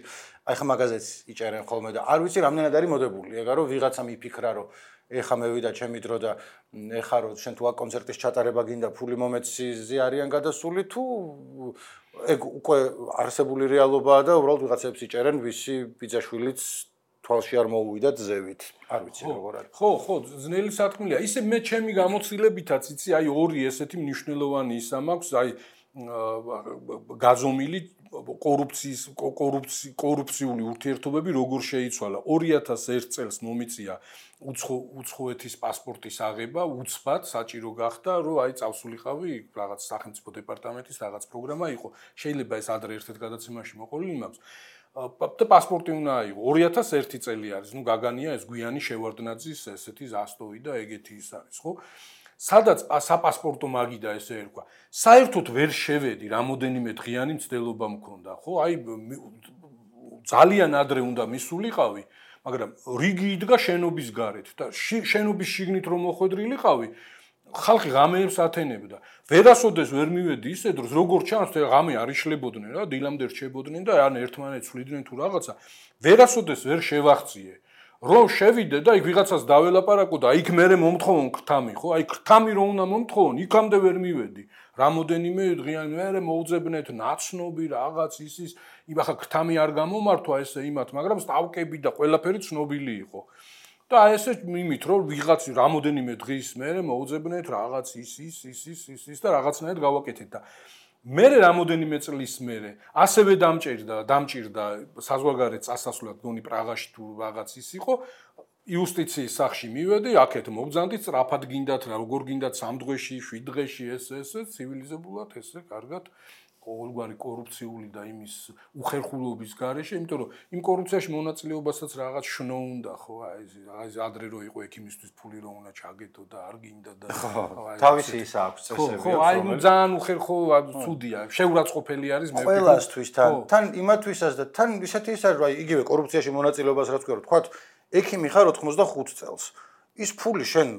აი ხა მაგაზეთს იჭერენ ხოლმე და არ ვიცი რამდენად არის მოდებული ეგა რომ ვიღაცამ იფიქრა რომ ეხა მევიდა ჩემი დრო და ეხა რომ შენ თუ აქ კონცერტის ჩატარება გინდა ფული მომეცი არიან გადასული თუ ეგ უკვე არსებული რეალობაა და უბრალოდ ვიღაცებს იჭერენ ვისი ბიძაშვილიც თვალში არ მოუვიდა ძევით. არ ვიცი როგორ არის. ხო, ხო, ძნელი სათქმელია. ისე მე ჩემი გამოცდილებითაც იცი, აი ორი ესეთი მნიშვნელოვანი ისა მაქვს, აი გაზომილი კორუფციის კორუფცი კორუფციული ურთიერთობები როგორ შეიცვალა. ორი ათას ერთ წელს მომიწია უცხოეთის პასპორტის აღება, უცბად საჭირო გახდა, რომ აი წავსულიყავი რაღაც სახელმწიფო დეპარტამენტის რაღაც პროგრამა იყო. შეიძლება ეს ადრე ერთ-ერთ გადაცემაში მოყოლილი მაქვს. და პასპორტი უნდა აიღო. ორი ათას ერთი წელი არის. ნუ გაგანია ეს გვიანი შევარდნაძის ესეთი ზასტოვი და ეგეთი ის არის, ხო? სადაც საპასპორტო მაგიდა ესე ერქვა. საერთოდ ვერ შევედი, რამოდენიმე დღიანი მცდელობა მქონდა, ხო? აი ძალიან ადრე უნდა მისულიყავი, მაგრამ რიგი იდგა შენობის გარეთ და შენობის შიგნით რომ მოხვედრილიყავი, ხალხი ღამეებს ათენებდა. ვერასოდეს ვერ მივედი ისე დროს, როგორ ჩანს, ღამე არ იშლებოდნენ რა, დილამდე რჩებოდნენ და ან ერთმანეთს ვლიდნენ თუ რაღაცა. ვერასოდეს ვერ შევახციე. რომ შევიდე და იქ ვიღაცას დაველაპარაკო და იქ მერე მომთხოვონ ქრთამი, ხო? აი ქრთამი რომ უნდა მომთხოვონ, იქამდე ვერ მივედი. რამოდენიმე დღიანი მერე მოუძებნეთ ნაცნობი რაღაც ისის, იბახა ქრთამი არ გამომართვა ესე იმათ, მაგრამ სტავკები და ყველაფერი ცნობილი იყო. და ესე იმით რომ ვიღაც რამოდენიმე დღის მერე მოუძებნეთ რაღაც ის ის ის ის ის ის და რაღაცნაირად გავაკეთეთ და მერე რამოდენიმე წლის მერე ასევე დამჭირდა დამჭირდა საზღვარგარეთ წასასვლელად გონი პრაღაში თუ რაღაც ის იყო იუსტიციის სახში მივედი აქეთ მოგზანდი სწრაფად გინდათ რა როგორ გინდათ სამ დღეში შვიდ დღეში ეს ესე ცივილიზებულად ესე კარგად ყოველგვარი კორუფციული და იმის უხერხულობის გარეშე, იმიტომ რომ იმ კორუფციაში მონაწილეობასაც რაღაც შნო უნდა, ხო, აი ეს ადრე რო იყო ექიმისთვის ფული რო უნდა ჩაგეთო და არ გინდა და თავისი ის აქვს წესები. ხო, აი ძალიან უხერხო, ცუდია, შეურაცხყოფელი არის მე. ყველასთვის თან, თან იმათვისაც და თან ისეთი ის არის, რომ აი იგივე კორუფციაში მონაწილეობას რაც ვქო, თქვა, ექიმი ხარ ოცდახუთ წელს. ის ფული შენ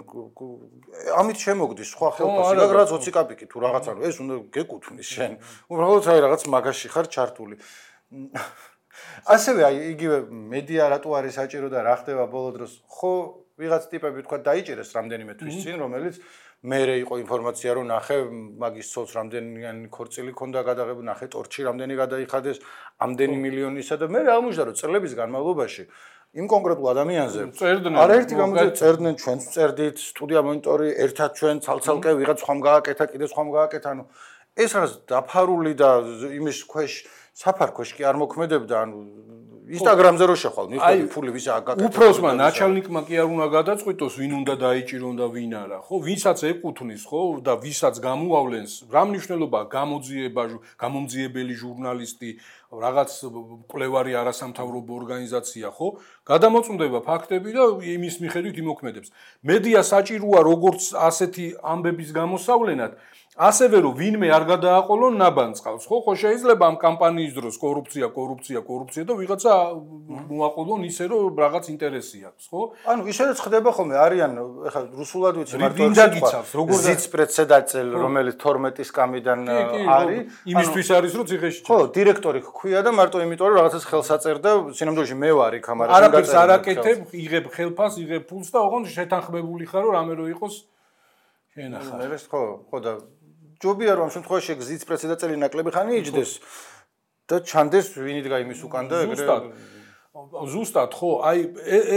ამით შემოგდის სხვა ხელფასი და რაღაც ოცი კაპიკი თუ რაღაცა რომ ეს უნდა გეკუთვნის შენ უბრალოდ აი რაღაც მაგაში ხარ ჩართული ასევე აი იგივე მედია რატო არის საჭირო და რა ხდება ბოლო დროს ხო ვიღაც ტიპები თქვა დაიჭერეს რამდენიმე თვის წინ, რომელიც მერე იყო ინფორმაცია რომ ნახე მაგის ცოლს რამდენი ქორწილი ქონდა გადაღებული, ნახე ტორჩი რამდენი გადაიხადეს, ამდენი მილიონისა და მე აღმოჩნდა რომ წლების განმავლობაში იმ კონკრეტულ ადამიანზე არაერთი გამოძიება წერდნენ, ჩვენც წერდით, სტუდია მონიტორი, ერთად ჩვენ ცალ-ცალკე ვიღაც ხომ გააკეთა, კიდე ხომ გააკეთა, ანუ ეს რაც დაფარული და იმის ქვეშ საფარქვეშ კი არ მოქმედებდა, ანუ Instagram-ზე რო შეხვალ, მიხდები ფული ვისა გაკეთდა. უფროსმა ნაჩალნიკმა კი არ უნდა გადაწყვიტოს, ვინ უნდა დაიჭირონ და ვინ არა, ხო? ვინცაც ეკუთვნის, ხო? და ვისაც გამოავლენს, რა მნიშვნელობა გამოძიება, გამომძიებელი ჟურნალისტი, რაღაც მკვლევარი არასამთავრობო ორგანიზაცია, ხო? გადამოწმდება ფაქტები და იმის მიხედვით იმოქმედებს. მედია საჭიროა როგორც ასეთი ამბების გამოსავლენად, ასევე რომ ვინმე არ გადააყოლონ ნაბანწყავს, ხო? ხო შეიძლება ამ კამპანიის დროს კორუფცია, კორუფცია, კორუფცია და ვიღაცა მოაყოლონ ისე რომ რაღაც ინტერესი აქვს, ხო? ანუ ისედაც ხდება ხოლმე, არიან, ეხლა რუსულად ვიცი, მარტო გიცავს, როგორ ზიც პრეცედენტელ, რომელიც თორმეტი სკამიდან არის, იმისთვის არის რომ ციხეში ხო, დირექტორი ხქვია და მარტო იმიტომ რომ რაღაცას ხელს აწერდა, სინამდვილეში მე ვარ იქ ამ არაფერს არ აკეთებ, იღებ ხელფას, იღებ ფულს და ოღონდ შეთანხმებული ხარ რომ რამე რო იყოს შენახა. მე ხო, ხო და ჯობია რომ ამ შემთხვევაში გზის პრეცედენტელი ნაკლები ხანი იჯდეს და ჩანდეს ვინ იდგა იმის უკან და ეგრე ზუსტად ხო აი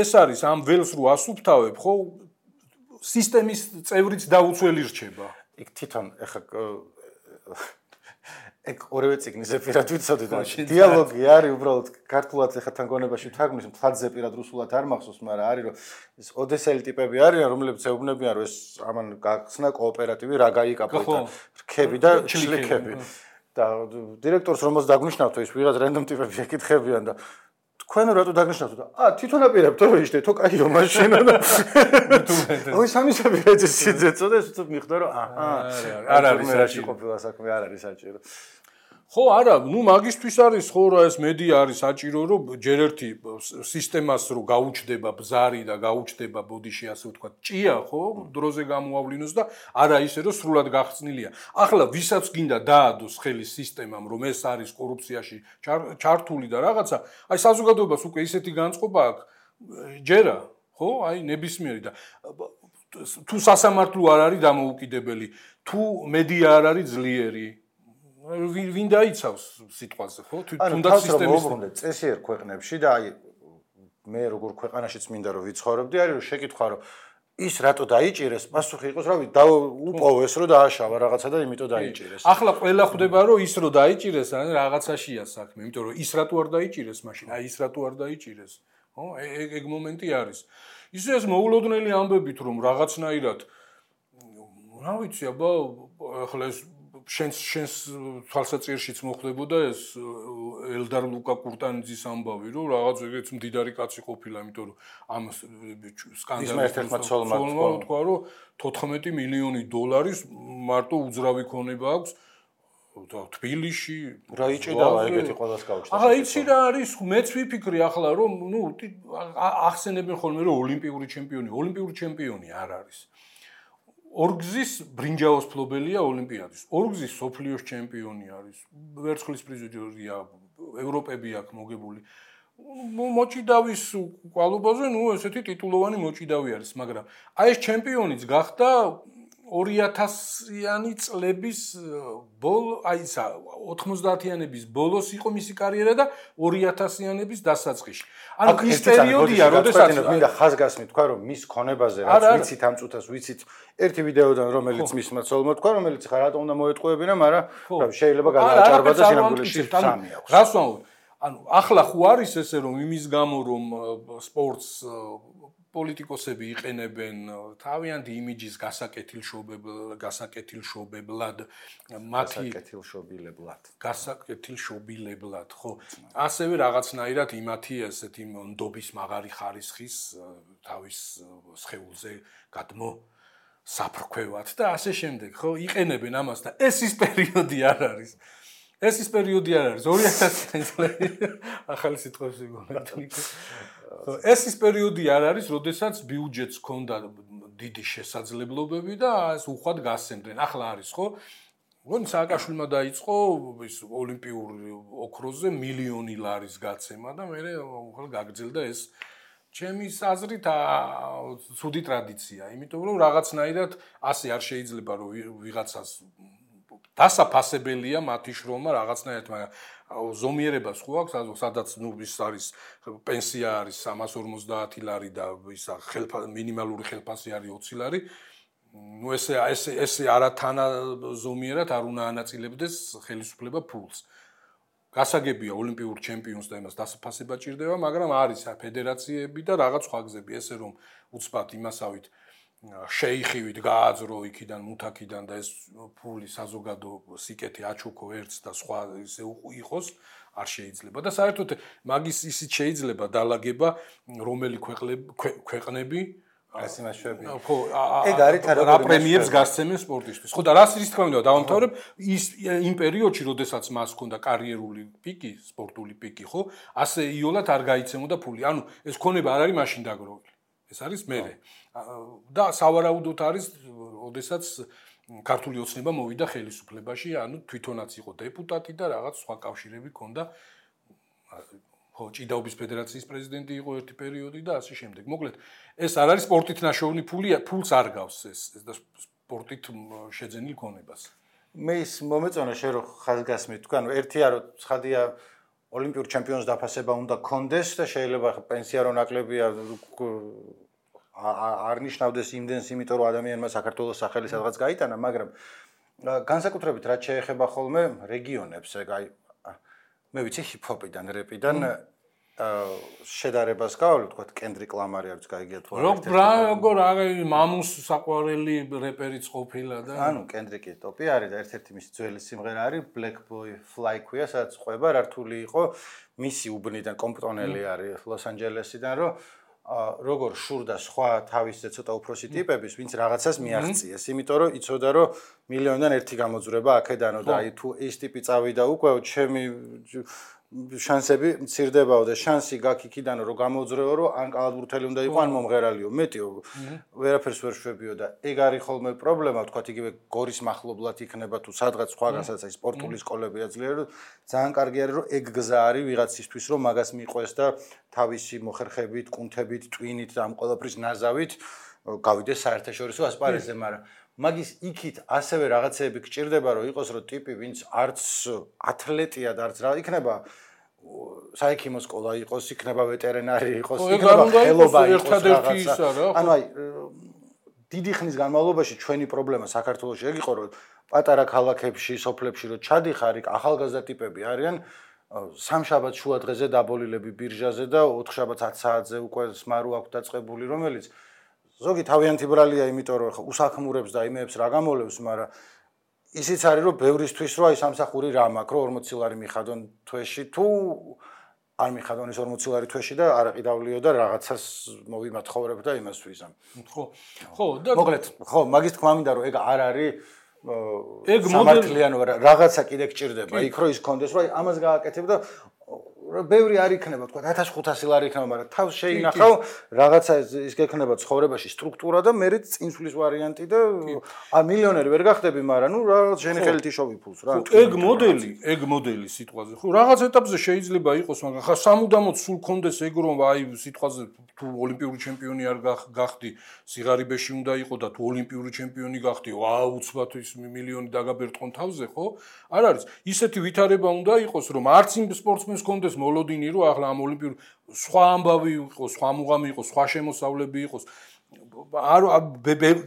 ეს არის ამ ველს რო ასუფთავებ ხო სისტემის წევრიც დაუცველი რჩება იქ თვითონ ეხა ეგ ორივე ციგნზე პირად ვიცოდი და დიალოგი არის უბრალოდ ქართულად ეხა თან გონებაში თარგმნის მთლადზე პირად რუსულად არ მახსოვს მაგრამ არის რომ ეს ოდესელი ტიპები არიან რომლებიც ეუბნებიან რომ ეს ამან გახსნა კოოპერატივი რა გაიკაპოთა რქები და ჩლიქები და დირექტორს რომელს დაგნიშნავთ ის ვიღაც რენდომ ტიპები ეკითხებიან და თქვენ რატო დაგნიშნავთ და ა თვითონ აპირებთ რომ იჯდეთო კაიო მაშინ და ой სამისები რეჟისორზე წოდეს უცებ მიხდა რომ აჰა არ არის საჭირო ყოფილა საქმე არ არის საჭირო ხო არა ნუ მაგისთვის არის ხო რა ეს მედია არის საჭირო რომ ჯერ ერთი სისტემას რო გაუჩდება ბზარი და გაუჩდება ბოდიში ასე ვთქვათ ჭია ხო დროზე გამოავლინოს და არა ისე რომ სრულად გახსნილია ახლა ვისაც გინდა დაადოს ხელი სისტემამ რომ ეს არის კორუფციაში ჩართული და რაღაცა აი საზოგადოებას უკვე ისეთი განწყობა აქვს ჯერა ხო აი ნებისმიერი და თუ სასამართლო არ არის დამოუკიდებელი თუ მედია არ არის ძლიერი ვინ დაიცავს სიტყვაზე ხო თუნდაც სისტემის წესიერ ქვეყნებში და აი მე როგორ ქვეყანაშიც მინდა რომ ვიცხოვრობდი არის რომ შეკითხვა რომ ის რატო დაიჭირეს პასუხი იყოს რავი დაუპოვეს რომ დააშავა რაღაცა და იმიტომ დაიჭირეს ახლა ყველა ხვდება რომ ის რომ დაიჭირეს რაღაცაშია საქმე იმიტომ რომ ის რატო არ დაიჭირეს მაშინ აი ის რატო არ დაიჭირეს ხო ეგ მომენტი არის ისე ეს მოულოდნელი ამბებით რომ რაღაცნაირად რა ვიცი აბა ახლა ეს შენს შენს თვალსაჩინშიც მოხდებოდა ეს ელდარ ლუკა კურტანიძის ამბავი რომ რაღაც ეგეც მდიდარი კაცი ყოფილა იმიტომ რომ ამ სკანდალის თქვა რომ თოთხმეტი მილიონი დოლარის მარტო უძრავი ქონება აქვს და თბილისში რა იჭიდავა ეგეთი ყველას გაუჩნდა ახლა იცი რა არის მეც ვიფიქრი ახლა რომ ნუ ახსენებენ ხოლმე რომ ოლიმპიური ჩემპიონი ოლიმპიური ჩემპიონი არ არის ორგზის ბრინჯაოს ფლობელია ოლიმპიადის. ორგზის სოფლიოს ჩემპიონი არის. ვერცხლის პრიზიორია, ევროპები აქვს მოგებული. მოჭიდავის კვალობაზე, ნუ ესეთი ტიტულოვანი მოჭიდავი არის, მაგრამ აი ეს ჩემპიონიც გახდა ორი ათასიანი წლების ბოლო, აი ისა ოთხმოცდაათიანების ბოლოს იყო მისი კარიერა და ორი ათასიანების დასაწყისში. ანუ ის პერიოდია, როდესაც მინდა ხაზგასმით თქვა, რომ მის ქონებაზე რაც ვიცით ამ წუთას, ვიცით ერთი ვიდეოდან, რომელიც მისმა ცოლმა თქვა, რომელიც ხა რატო უნდა მოეტყუებინა, მაგრამ შეიძლება გადააჭარბა და სინამდვილეში სამი აქვს. რას ვამბობ? ანუ ახლა ხო არის ესე რომ იმის გამო რომ სპორტს პოლიტიკოსები იყენებენ თავიანთი იმიჯის გასაკეთილშობებლად, გასაკეთილშობებლად, მათი გასაკეთილშობილებლად, გასაკეთილშობილებლად, ხო. ასევე რაღაცნაირად იმათი ესეთი ნდობის მაღარი ხარისხის თავის სხეულზე გადმო საფრქვევად და ასე შემდეგ, ხო, იყენებენ ამას და ეს ის პერიოდი არ არის. ეს ის პერიოდი არ არის ორი ათასიანი წლები ახალი სიტყვებში გონეთნიკო ეს ის პერიოდი არ არის როდესაც ბიუჯეტს ჰქონდა დიდი შესაძლებლობები და ეს უხვად გასცემდნენ ახლა არის ხო გონი სააკაშვილმა დაიწყო ის ოლიმპიურ ოქროზე მილიონი ლარის გაცემა და მე ახლა გაგრძელდა ეს ჩემის აზრით ცუდი ტრადიცია, იმიტომ რომ რაღაცნაირად ასე არ შეიძლება რომ ვიღაცას დასაფასებელია მათი შრომა რაღაცნაირად, მაგრამ ზომიერებას ხო აქვს, სადაც ნუ ის არის პენსია არის სამას ორმოცდაათი ლარი და ისა ხელფა მინიმალური ხელფასი არის ოცი ლარი. ნუ ესე ესე ესე არათანა ზომიერად არ უნდა ანაწილებდეს ხელისუფლება ფულს. გასაგებია ოლიმპიურ ჩემპიონს და იმას დასაფასება ჭირდება, მაგრამ არის ფედერაციები და რაღაც სხვა გზები, ესე რომ უცბად იმასავით შეიხივით გააძრო იქიდან მუთაკიდან და ეს ფული საზოგადო სიკეთე აჩუქო ერთს და სხვა ისე იყოს არ შეიძლება და საერთოდ მაგის ისიც შეიძლება დალაგება რომელი ქვეყნები ეს იმაშები. ხო, ეგ არის რა პრემიებს გასცემენ სპორტისტვის. ხო და რას ის თქმა უნდა დავამთავრებ ის იმ პერიოდში, როდესაც მას ჰქონდა კარიერული პიკი, სპორტული პიკი, ხო? ასე იოლად არ გაიცემოდა ფული. ანუ ეს ქონება არ არის მაშინ დაგროვილი. ეს არის მერე. და სავარაუდოდ არის, როდესაც ქართული ოცნება მოვიდა ხელისუფლებაში, ანუ თვითონაც იყო დეპუტატი და რაღაც სხვა კავშირები ჰქონდა. ხო, ჭიდაობის ფედერაციის პრეზიდენტი იყო ერთი პერიოდი და ასე შემდეგ. მოკლედ, ეს არ არის სპორტით ნაშოვნი ფული, ფულს არ გავს ეს და სპორტით შეძენილ ქონებას. მე ის მომეწონა შენ რომ ხაზგასმით თქვა, ანუ ერთია რომ ცხადია ოლიმპიურ ჩემპიონს დაფასება უნდა კონდეს და შეიძლება პენსია რო ნაკლებია არ ნიშნავდეს იმდენს, იმიტომ რომ ადამიანმა საქართველოს სახელი სადღაც გაიტანა, მაგრამ განსაკუთრებით რაც შეეხება ხოლმე რეგიონებს, ეგ აი მე ვიცი ჰიპ-ჰოპიდან, რეპიდან შედარებას გავავლე, თქვა კენდრიკ ლამარი არის გაიგია თუ არა. რა როგორ აი მამუს საყვარელი რეპერიც ყოფილა და ანუ კენდრიკი ტოპი არის და ერთ-ერთი მისი ძველი სიმღერა არის Black Boy Fly ქვია, სადაც ყვება რართული იყო მისი უბნიდან კომპტონელი არის ლოს-ანჯელესიდან, რომ როგორ შურდა სხვა თავისზე ცოტა უფროსი ტიპების, ვინც რაღაცას მიაღწიეს, იმიტომ რომ იცოდა რომ მილიონიდან ერთი გამოძვრება აქედანო და აი თუ ეს ტიპი წავიდა უკვე ჩემი შანსები მცირდებაო და შანსი გაქვს იქიდან რომ გამოძრეო რომ ან კალათბურთელი უნდა იყო ან მომღერალიო მეტიო ვერაფერს ვერ შვებიო და ეგ არის ხოლმე პრობლემა თქვა იგივე გორის მახლობლად იქნება თუ სადღაც სხვაგასაც აი სპორტული სკოლებია ძლიერ რომ ძალიან კარგი არის რომ ეგ გზა არის ვიღაცისთვის რომ მაგას მიყვეს და თავისი მოხერხებით, კუნთებით, ტვინით და ამ ყველაფრის ნაზავით გავიდეს საერთაშორისო ასპარეზზე, მაგრამ მაგის იქით ასევე რაღაცეები გჭირდება რომ იყოს რომ ტიპი ვინც არც ათლეტია და არც რა იქნება საექიმო სკოლა იყოს, იქნება ვეტერინარი იყოს, იქნება ხელობა იყოს რაღაცა. ანუ აი დიდი ხნის განმავლობაში ჩვენი პრობლემა საქართველოში ეგ იყო რომ პატარა ქალაქებში, სოფლებში რომ ჩადიხარ, იქ ახალგაზრდა ტიპები არიან სამშაბათ შუა დღეზე დაბოლილები ბირჟაზე და ოთხშაბათს ათი საათზე უკვე სმარო აქვს დაწყებული, რომელიც ზოგი თავიანთი ბრალია, იმიტომ რომ ხა უსახმურებს და იმეებს რა გამოლევს, მაგრამ ისიც არის რომ ბევრისთვის რო აი სამსახური რა მაქვს, რომ ორმოცი ლარი მიხადონ თვეში თუ არ მიხადონ ეს ორმოცი ლარი თვეში და არაყიდავლიო და რაღაცას მოვიმათხოვრებ და იმას ვიზამ. ხო. ხო, და მოკლედ, ხო, მაგის თქმა მინდა რომ ეგ არ არის ეგ მოდელიანო რაღაცა კიდე გჭირდება, იქ რო ის კონდეს, რომ აი ამას გააკეთებ და ბევრი არ იქნება, თქვა ათას ხუთასი ლარი იქნება, მაგრამ თავს შეინახავ რაღაცა ის გექნება ცხოვრებაში სტრუქტურა და მერე წინსვლის ვარიანტი და ა მილიონერი ვერ გახდები, მაგრამ ნუ რაღაც შენი ხელით იშოვი ფულს რა. ეგ მოდელი, ეგ მოდელი სიტყვაზე. ხო, რაღაც ეტაპზე შეიძლება იყოს, მაგრამ ხა სამუდამოდ სულ კონდეს ეგ რომ აი სიტყვაზე თუ ოლიმპიური ჩემპიონი არ გახდი, სიღარიბეში უნდა იყო და თუ ოლიმპიური ჩემპიონი გახდი, ვაუ, უცბად ის მილიონი დაგაბერტყონ თავზე, ხო? არ არის. ისეთი ვითარება უნდა იყოს, რომ არც იმ სპორტსმენს კონდეს მოლოდინი რომ ახლა ამ ოლიმპიურ სხვა ამბავი იყოს, სხვა მუღამი იყოს, სხვა შემოსავლები იყოს. არ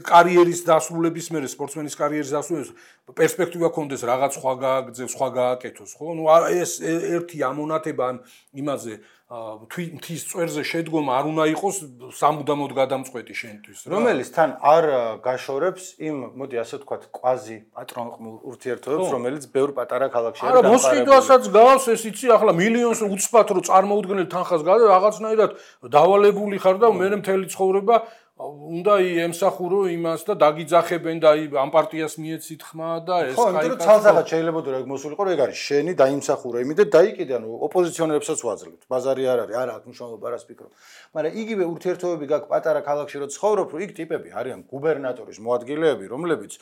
კარიერის დასრულების მერე სპორტსმენის კარიერის დასრულების პერსპექტივა კონდეს რაღაც სხვა გააგზევს, სხვა გააკეთოს, ხო? ნუ ეს ერთი ამონათება ან იმაზე თვითის წვერზე შედგომა არ უნდა იყოს სამუდამოდ გადამწყვეტი შენთვის, რა. რომელიც თან არ გაშორებს იმ, მოდი ასე ვთქვათ, კვაზი პატრონყმულ ურთიერთობებს, რომელიც ბევრ პატარა ქალაქში არის დამყარებული. არა, მოსყიდვასაც გავს ეს იცი, ახლა მილიონს უცბად რო წარმოუდგენელ თანხას გადა, რაღაცნაირად დავალებული ხარ და მე მთელი ცხოვრება უნდა ემსახურო იმას და დაგიძახებენ და ამ პარტიას მიეცით ხმა და ეს ხო, იმიტომ რომ ცალსახად შეიძლება თუ ეგ მოსულიყო, რომ ეგ არის შენი დაიმსახურე იმით და დაიკიდე, ანუ ოპოზიციონერებსაც ვაძლევთ. ბაზარი არ არის, არა აქვს მნიშვნელობა რას ფიქრობ. მაგრამ იგივე ურთიერთობები გაქვს პატარა ქალაქში რო ცხოვრობ, რომ იქ ტიპები არიან გუბერნატორის მოადგილეები, რომლებიც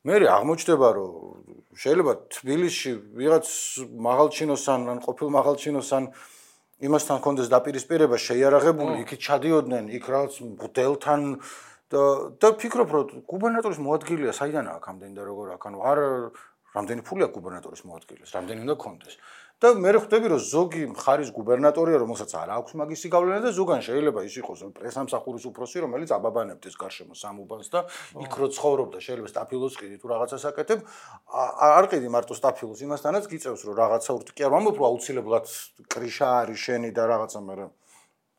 მე აღმოჩნდება, რომ შეიძლება თბილისში ვიღაც მაღალჩინოსან ან ყოფილ მაღალჩინოსან იმასთან კონდეს დაპირისპირება შეიარაღებული, იქით ჩადიოდნენ, იქ რაღაც მღვდელთან და და ფიქრობ რომ გუბერნატორის მოადგილეა საიდან აქვს ამდენი და როგორ აქვს, ანუ არ რამდენი ფული აქვს გუბერნატორის მოადგილეს, რამდენი უნდა კონდეს. და მე ხვდები რომ ზოგი მხარის გუბერნატორია, რომელსაც არ აქვს მაგისი გავლენა და ზოგან შეიძლება ის იყოს პრესამსახურის უფროსი, რომელიც აბაბანებდეს გარშემო სამუბანს და იქ რო ცხოვრობდა, შეიძლება სტაფილოს ყიდი თუ რაღაცას აკეთებ, არ ყიდი მარტო სტაფილოს, იმასთანაც გიწევს რომ რაღაცა ურთი კი არ ვამბობ რომ აუცილებლად კრიშა არის შენი და რაღაცა, მაგრამ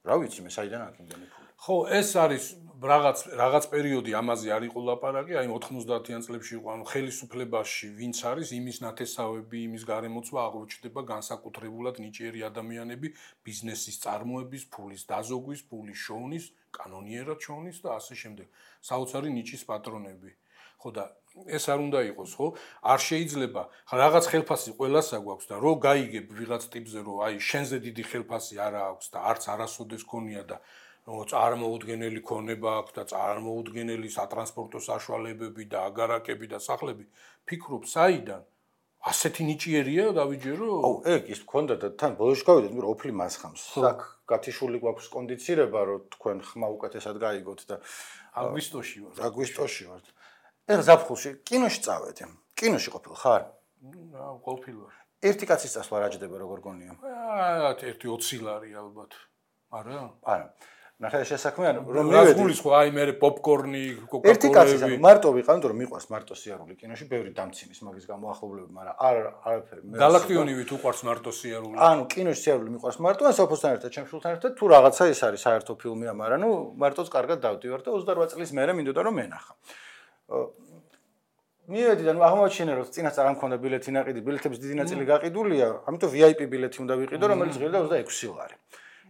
რა ვიცი მე საიდან აქვს იმდენი ფული. ხო, ეს არის რაღაც რაღაც პერიოდი ამაზე არ იყო ლაპარაკი, აი ოთხმოცდაათიან წლებში იყო, ანუ ხელისუფლებაში ვინც არის, იმის ნათესავები, იმის გარემოცვა აღმოჩნდება განსაკუთრებულად ნიჭიერი ადამიანები, ბიზნესის წარმოების, ფულის დაზოგვის, ფულის შოვნის, კანონიერად შოვნის და ასე შემდეგ. საოცარი ნიჭის პატრონები. ხო და ეს არ უნდა იყოს, ხო? არ შეიძლება რაღაც ხელფასი ყველას აქვს და რო გაიგებ ვიღაც ტიპზე, რომ აი შენზე დიდი ხელფასი არა აქვს და არც არასოდეს ქონია და წარმოუდგენელი ქონება აქვს და წარმოუდგენელი სატრანსპორტო საშუალებები და აგარაკები და სახლები, ფიქრობ, საიდან? ასეთი ნიჭიერია დავიჯერო? აუ, ეგ ის მქონდა და თან ბოლოში გავიდეთ, მე ოფლი მასხამს. საკ გათიშული გვაქვს კონდიცირება, რომ თქვენ ხმა უკეთესად გაიგოთ და აგვისტოში ვარ. აგვისტოში ვარ. ეგ ზაფხულში კინოში წავედი. კინოში ყოფილ ხარ? აა, ყოფილ ვარ. ერთი კაცის წასვლა რა ჯდება, როგორ გონია? აა, ერთი ოცი ლარი ალბათ. არა? არა. ნახე შესაქმე რომ მივედი გულის ხო აი მე პოპკორნი, კოკაკოლები. ერთი კაცის ანუ მარტო ვიყავ, იმიტომ რომ მიყვარს მარტო სიარული კინოში, ბევრი დამცინის მაგის გამო ახლობლები, მაგრამ არ არაფერი. გალაქტიონივით უყვარს მარტო სიარული. ანუ კინოში სიარული მიყვარს მარტო, ან საფოსთან ერთად, ჩემ შულთან ერთად, თუ რაღაცა ის არის საერთო ფილმია, მაგრამ ნუ მარტოც კარგად დავდივარ და ოცდარვა წლის მერე მინდოდა რომ მენახა. მივედი და ნუ აღმოჩინე რომ წინასწარ არ მქონდა ბილეთი ნაყიდი, ბილეთების დიდი ნაწილი გაყიდულია, ამიტომ ვი აი პი ბილეთი უნდა ვიყიდო, რომელიც ღირდა ოცდაექვსი ლარი.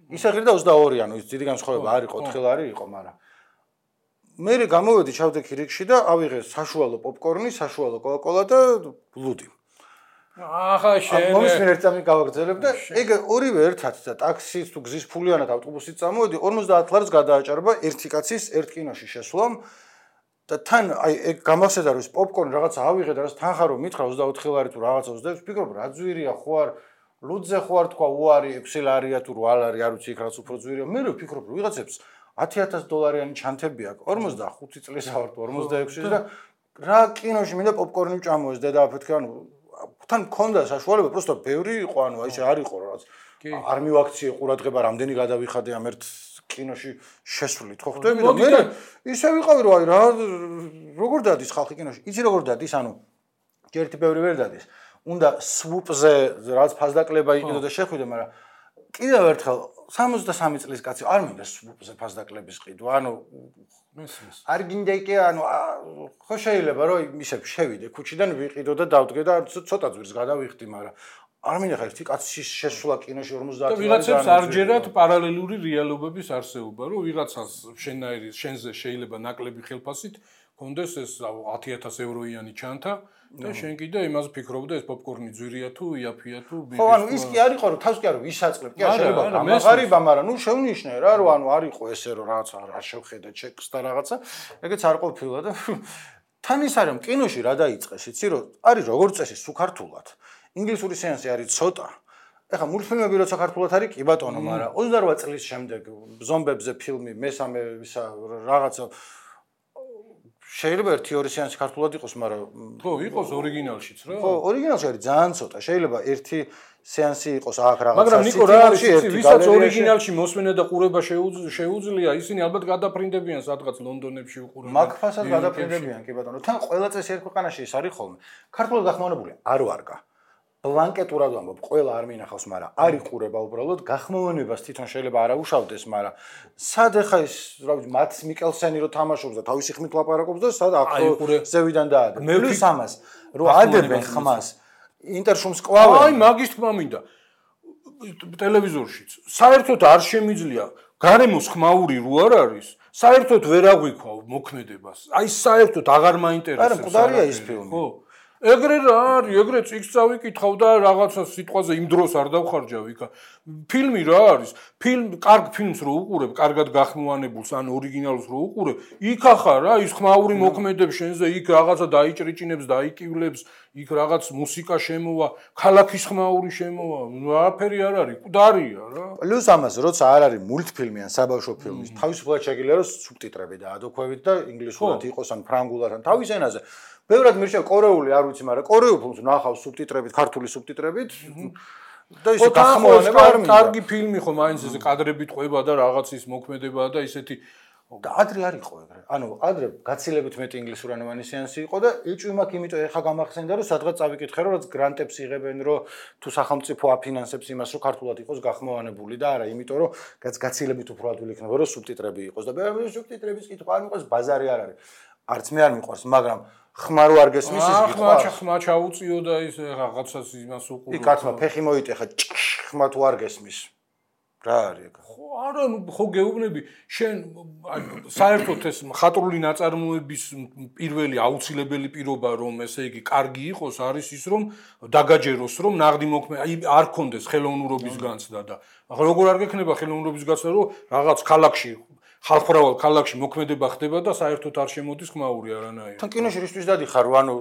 ისე ღირდა ოცდაორი, ანუ ის დიდი განსხვავება არ იყო, ოთხი ლარი იყო, მაგრამ მე გამოვედი, ჩავდექი რიგში და ავიღე საშუალო პოპკორნი, საშუალო კოკაკოლა და ლუდი. ახლა შენ მომის მე ერთ წამი გავაგრძელებ და ეგ ორივე ერთად და ტაქსის თუ გზის ფულიანად ავტობუსით წამოვედი, ორმოცდაათ ლარს გადააჭარბა ერთი კაცის ერთ კინოში შესვლამ და თან აი ეგ გამახსენდა რომ ეს პოპკორნი რაღაცა ავიღე და რაც თანხა რომ მითხრა ოცდაოთხი ლარი თუ რაღაცა ოცდაექვსი, ფიქრობ რა ძვირია ხო არ ლუდზე ხო არ თქვა უარი ექვსი ლარია თუ რვა ლარი, არ ვიცი იქ რაც უფრო ძვირია. მე რო ვფიქრობ რომ ვიღაცებს ათი ათას დოლარიანი ჩანთები აქვს, ორმოცდახუთი წლისა ვარ თუ ორმოცდაექვსი და რა კინოში მინდა პოპკორნი ვჭამოს დედა აფეთქე, ანუ თან მქონდა საშუალება, პროსტო ბევრი იყო, ანუ აი ესე არ იყო რაღაც არ მივაქციე ყურადღება, რამდენი გადავიხადე ამ ერთ კინოში შესვლით, ხო ხვდები და მე ისე ვიყავი რომ აი რა როგორ დადის ხალხი კინოში, იცი როგორ დადის, ანუ ერთი ბევრი ვერ დადის. უნდა სვუპზე რაც ფასდაკლება იყიდო და შეხვიდე, მაგრამ კიდევ ერთხელ სამოცდასამი წლის კაცი არ მინდა სვუპზე ფასდაკლების ყიდვა, ანუ მესმის. არ გინდა იკე, ანუ ხო შეიძლება რომ ისე შევიდე ქუჩიდან ვიყიდო და დავდგე და ცოტა ძვირს გადავიხდი, მაგრამ არ მინდა ხა ერთი კაცის შესვლა კინოში ორმოცდაათი და ვიღაცებს არ ჯერათ პარალელური რეალობების არსებობა, რომ ვიღაცას შენაირი შენზე შეიძლება ნაკლები ხელფასით კონდეს ეს ათი ათას ევროიანი ჩანთა და შენ კიდე იმას ფიქრობდა ეს პოპკორნი ძვირია თუ იაფია თუ ხო, ანუ ის კი არ იყო რომ თავს კი არ ვისაწყლებ, კი არ შეიძლება გამაღარიბა, მაგრამ ნუ შევნიშნე რა, რომ ანუ არ იყო ესე რომ რაღაცა არ შევხედე ჩეკს და რაღაცა, ეგეც არ ყოფილა და თან ის არის კინოში რა დაიწყეს, იცი რომ არის როგორც წესი სუქართულად. ინგლისური სეანსი არის ცოტა. ეხა მულტფილმები როცა ქართულად არის, კი ბატონო, მაგრამ ოცდარვა წლის შემდეგ ზომბებზე ფილმი, მესამე ისა რაღაცა შეიძლება ერთი ორი სეანსი ქართულად იყოს, მაგრამ ხო, იყოს ორიგინალშიც რა. ხო, ორიგინალში არის ძალიან ცოტა. შეიძლება ერთი სეანსი იყოს აქ რაღაცა. მაგრამ ნიკო რა არის, ვისაც ორიგინალში მოსმენა და ყურება შეუძლია, ისინი ალბათ გადაფრინდებიან სადღაც ლონდონებში უყურებენ. მაგფასად გადაფრინდებიან, კი ბატონო. თან ყველა წესი ერთ ქვეყანაში ის არის ხოლმე. ქართულად გახმოვანებული არ ვარგა. ბლანკეტურად ვამბობ, ყველა არ მინახავს, მაგრამ არ იყურება უბრალოდ გახმოვანებას თვითონ შეიძლება არ აუშავდეს, მაგრამ სად ეხა ის, რა ვიცი, მატ მიკელსენი რო თამაშობს და თავისი ხმით ლაპარაკობს და სად აქ ზევიდან დაადებ. პლუს ამას, რო ადებენ ხმას, ინტერშუმს კლავენ. აი, მაგის თქმა მინდა. ტელევიზორშიც საერთოდ არ შემიძლია გარემოს ხმაური რო არ არის, საერთოდ ვერ აღვიქვა მოქმედებას. აი, საერთოდ აღარ მაინტერესებს. არა, მკვდარია ის ფილმი. ხო. ეგრე რა არის, ეგრე წიგნს წავიკითხავ და რაღაცა სიტყვაზე იმ დროს არ დავხარჯავ იქა. ფილმი რა არის? ფილმ, კარგ ფილმს რო უყურებ, კარგად გახმოვანებულს ან ორიგინალურს რო უყურებ, იქ ახარ რა, ის ხმაური მოქმედებს შენზე, იქ რაღაცა დაიჭრიჭინებს, დაიკივლებს, იქ რაღაც მუსიკა შემოვა, ქალაქის ხმაური შემოვა, არაფერი არ არის, მკვდარია რა. პლუს ამას, როცა არ არის მულტფილმი ან საბავშვო ფილმი, თავისუფლად შეგიძლია რომ სუბტიტრები დაადოქვევით და ინგლისურად იყოს ან ფრანგულად ან თავის ენაზე. ბევრად მირჩევ კორეული არ ვიცი, მაგრამ კორეულ ფილმს ნახავ სუბტიტრებით, ქართული სუბტიტრებით. და ისე გახმოვანება არ მინდა. კარგი ფილმი ხო მაინც ესე კადრებით ყვება და რაღაც ის მოქმედება და ისეთი და ადრე არ იყო ეგრე. ანუ ადრე გაცილებით მეტი ინგლისურენოვანი სეანსი იყო და ეჭვი მაქვს, იმიტომ ეხა გამახსენდა რომ სადღაც წავიკითხე რომ რაც გრანტებს იღებენ, რომ თუ სახელმწიფო აფინანსებს იმას, რომ ქართულად იყოს გახმოვანებული და არა, იმიტომ რომ გაცილებით უფრო ადვილი იქნება რომ სუბტიტრები იყოს და მე სუბტიტრების კითხვა არ მიყვარს, ბაზარი არ არის. არც მე არ მიყვარს, მაგრამ ხმარო არ გესმის ის კითხვა. ახლა ხმა ჩაუწიო და ის რაღაცას იმას უყურო. იქ კაცმა ფეხი მოიტეხა, ხმა თუ არ გესმის. რა არის ეგ? ხო, არა, ხო გეუბნები, შენ საერთოდ ეს მხატვრული ნაწარმოების პირველი აუცილებელი პირობა რომ ესე იგი კარგი იყოს არის ის რომ დაგაჯეროს რომ ნაღდი მოქმედება, აი არ კონდეს ხელოვნურობის განცდა და ახლა როგორ არ გექნება ხელოვნურობის განცდა რომ რაღაც ქალაქში ხალხმრავალ ქალაქში მოქმედება ხდება და საერთოდ არ შემოდის ხმაური არანაირი. თან კინოში რისთვის დადიხარ, ანუ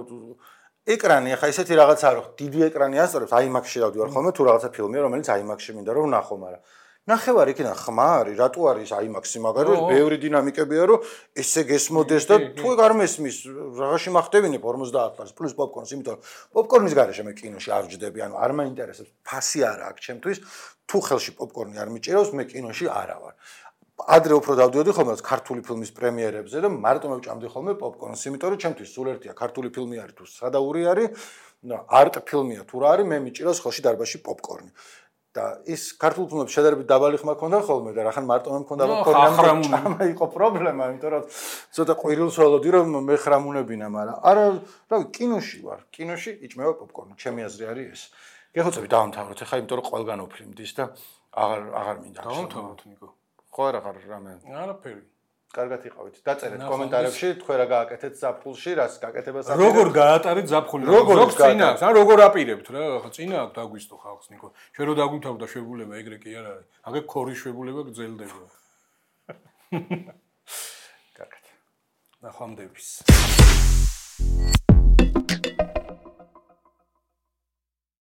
ეკრანი ახლა ესეთი რაღაცა რო დიდი ეკრანი ასწრებს, აიმაქსში დავდივარ ხოლმე თუ რაღაცა ფილმია, რომელიც აიმაქსში მინდა რომ ვნახო, მაგრამ ნახევარი იქიდან ხმა არის, რატო არის აიმაქსი, მაგრამ ბევრი დინამიკებია რომ ესე გესმოდეს და თუ არ მესმის, რაღაცი მახდებინებ ორმოცდაათ ლარს პლუს პოპკორნს, იმიტომ რომ პოპკორნის გარეშე მე კინოში არ ვჯდები, ანუ არ მაინტერესებს, ფასი არა აქვს ჩემთვის, თუ ხელში პოპკორნი არ მიჭირავს, მე კინოში არა ვარ. ადრე უფრო დავდიოდი ხოლმე ქართული ფილმის პრემიერებზე და მარტო მევჭამდი ხოლმე პოპკორნს, იმიტომ რომ ჩემთვის სულ ერთია ქართული ფილმი არის თუ სადაური არის, არტ ფილმია თუ რა არის, მე მიჭირავს ხელში დარბაზში პოპკორნი. და ის ქართულ ფილმებში შედარებით დაბალი ხმა ქონდა ხოლმე და რახან მარტო მე მქონდა პოპკორნი, ჩამა იყო პრობლემა, იმიტომ რომ ცოტა ყვირილს ველოდი რომ მე ხრამუნებინა, მაგრამ არა, რავი, კინოში ვარ, კინოში იჭმევა პოპკორნი, ჩემი აზრი არის ეს. გეხოცები დავამთავროთ ახლა, იმიტომ რომ ყველგან ოფლიმდის და აღარ აღარ მინდა. დავამთავროთ ნიკო. ხო არა ხარ რამე? არაფერი. კარგად იყავით. დაწერეთ კომენტარებში, თქვენ რა გააკეთეთ ზაფხულში, რას გაკეთებას აკეთებთ. როგორ გაატარეთ ზაფხული? ზოგ წინა აქვს, ან როგორ აპირებთ რა? ხა წინა აქვს დაგვისტო ხალხს ნიკო. ჩვენ რო დაგვითავდა შვებულება, ეგრე კი არ არის. აგე ქორის შვებულება გძელდება. კარგად. ნახვამდების.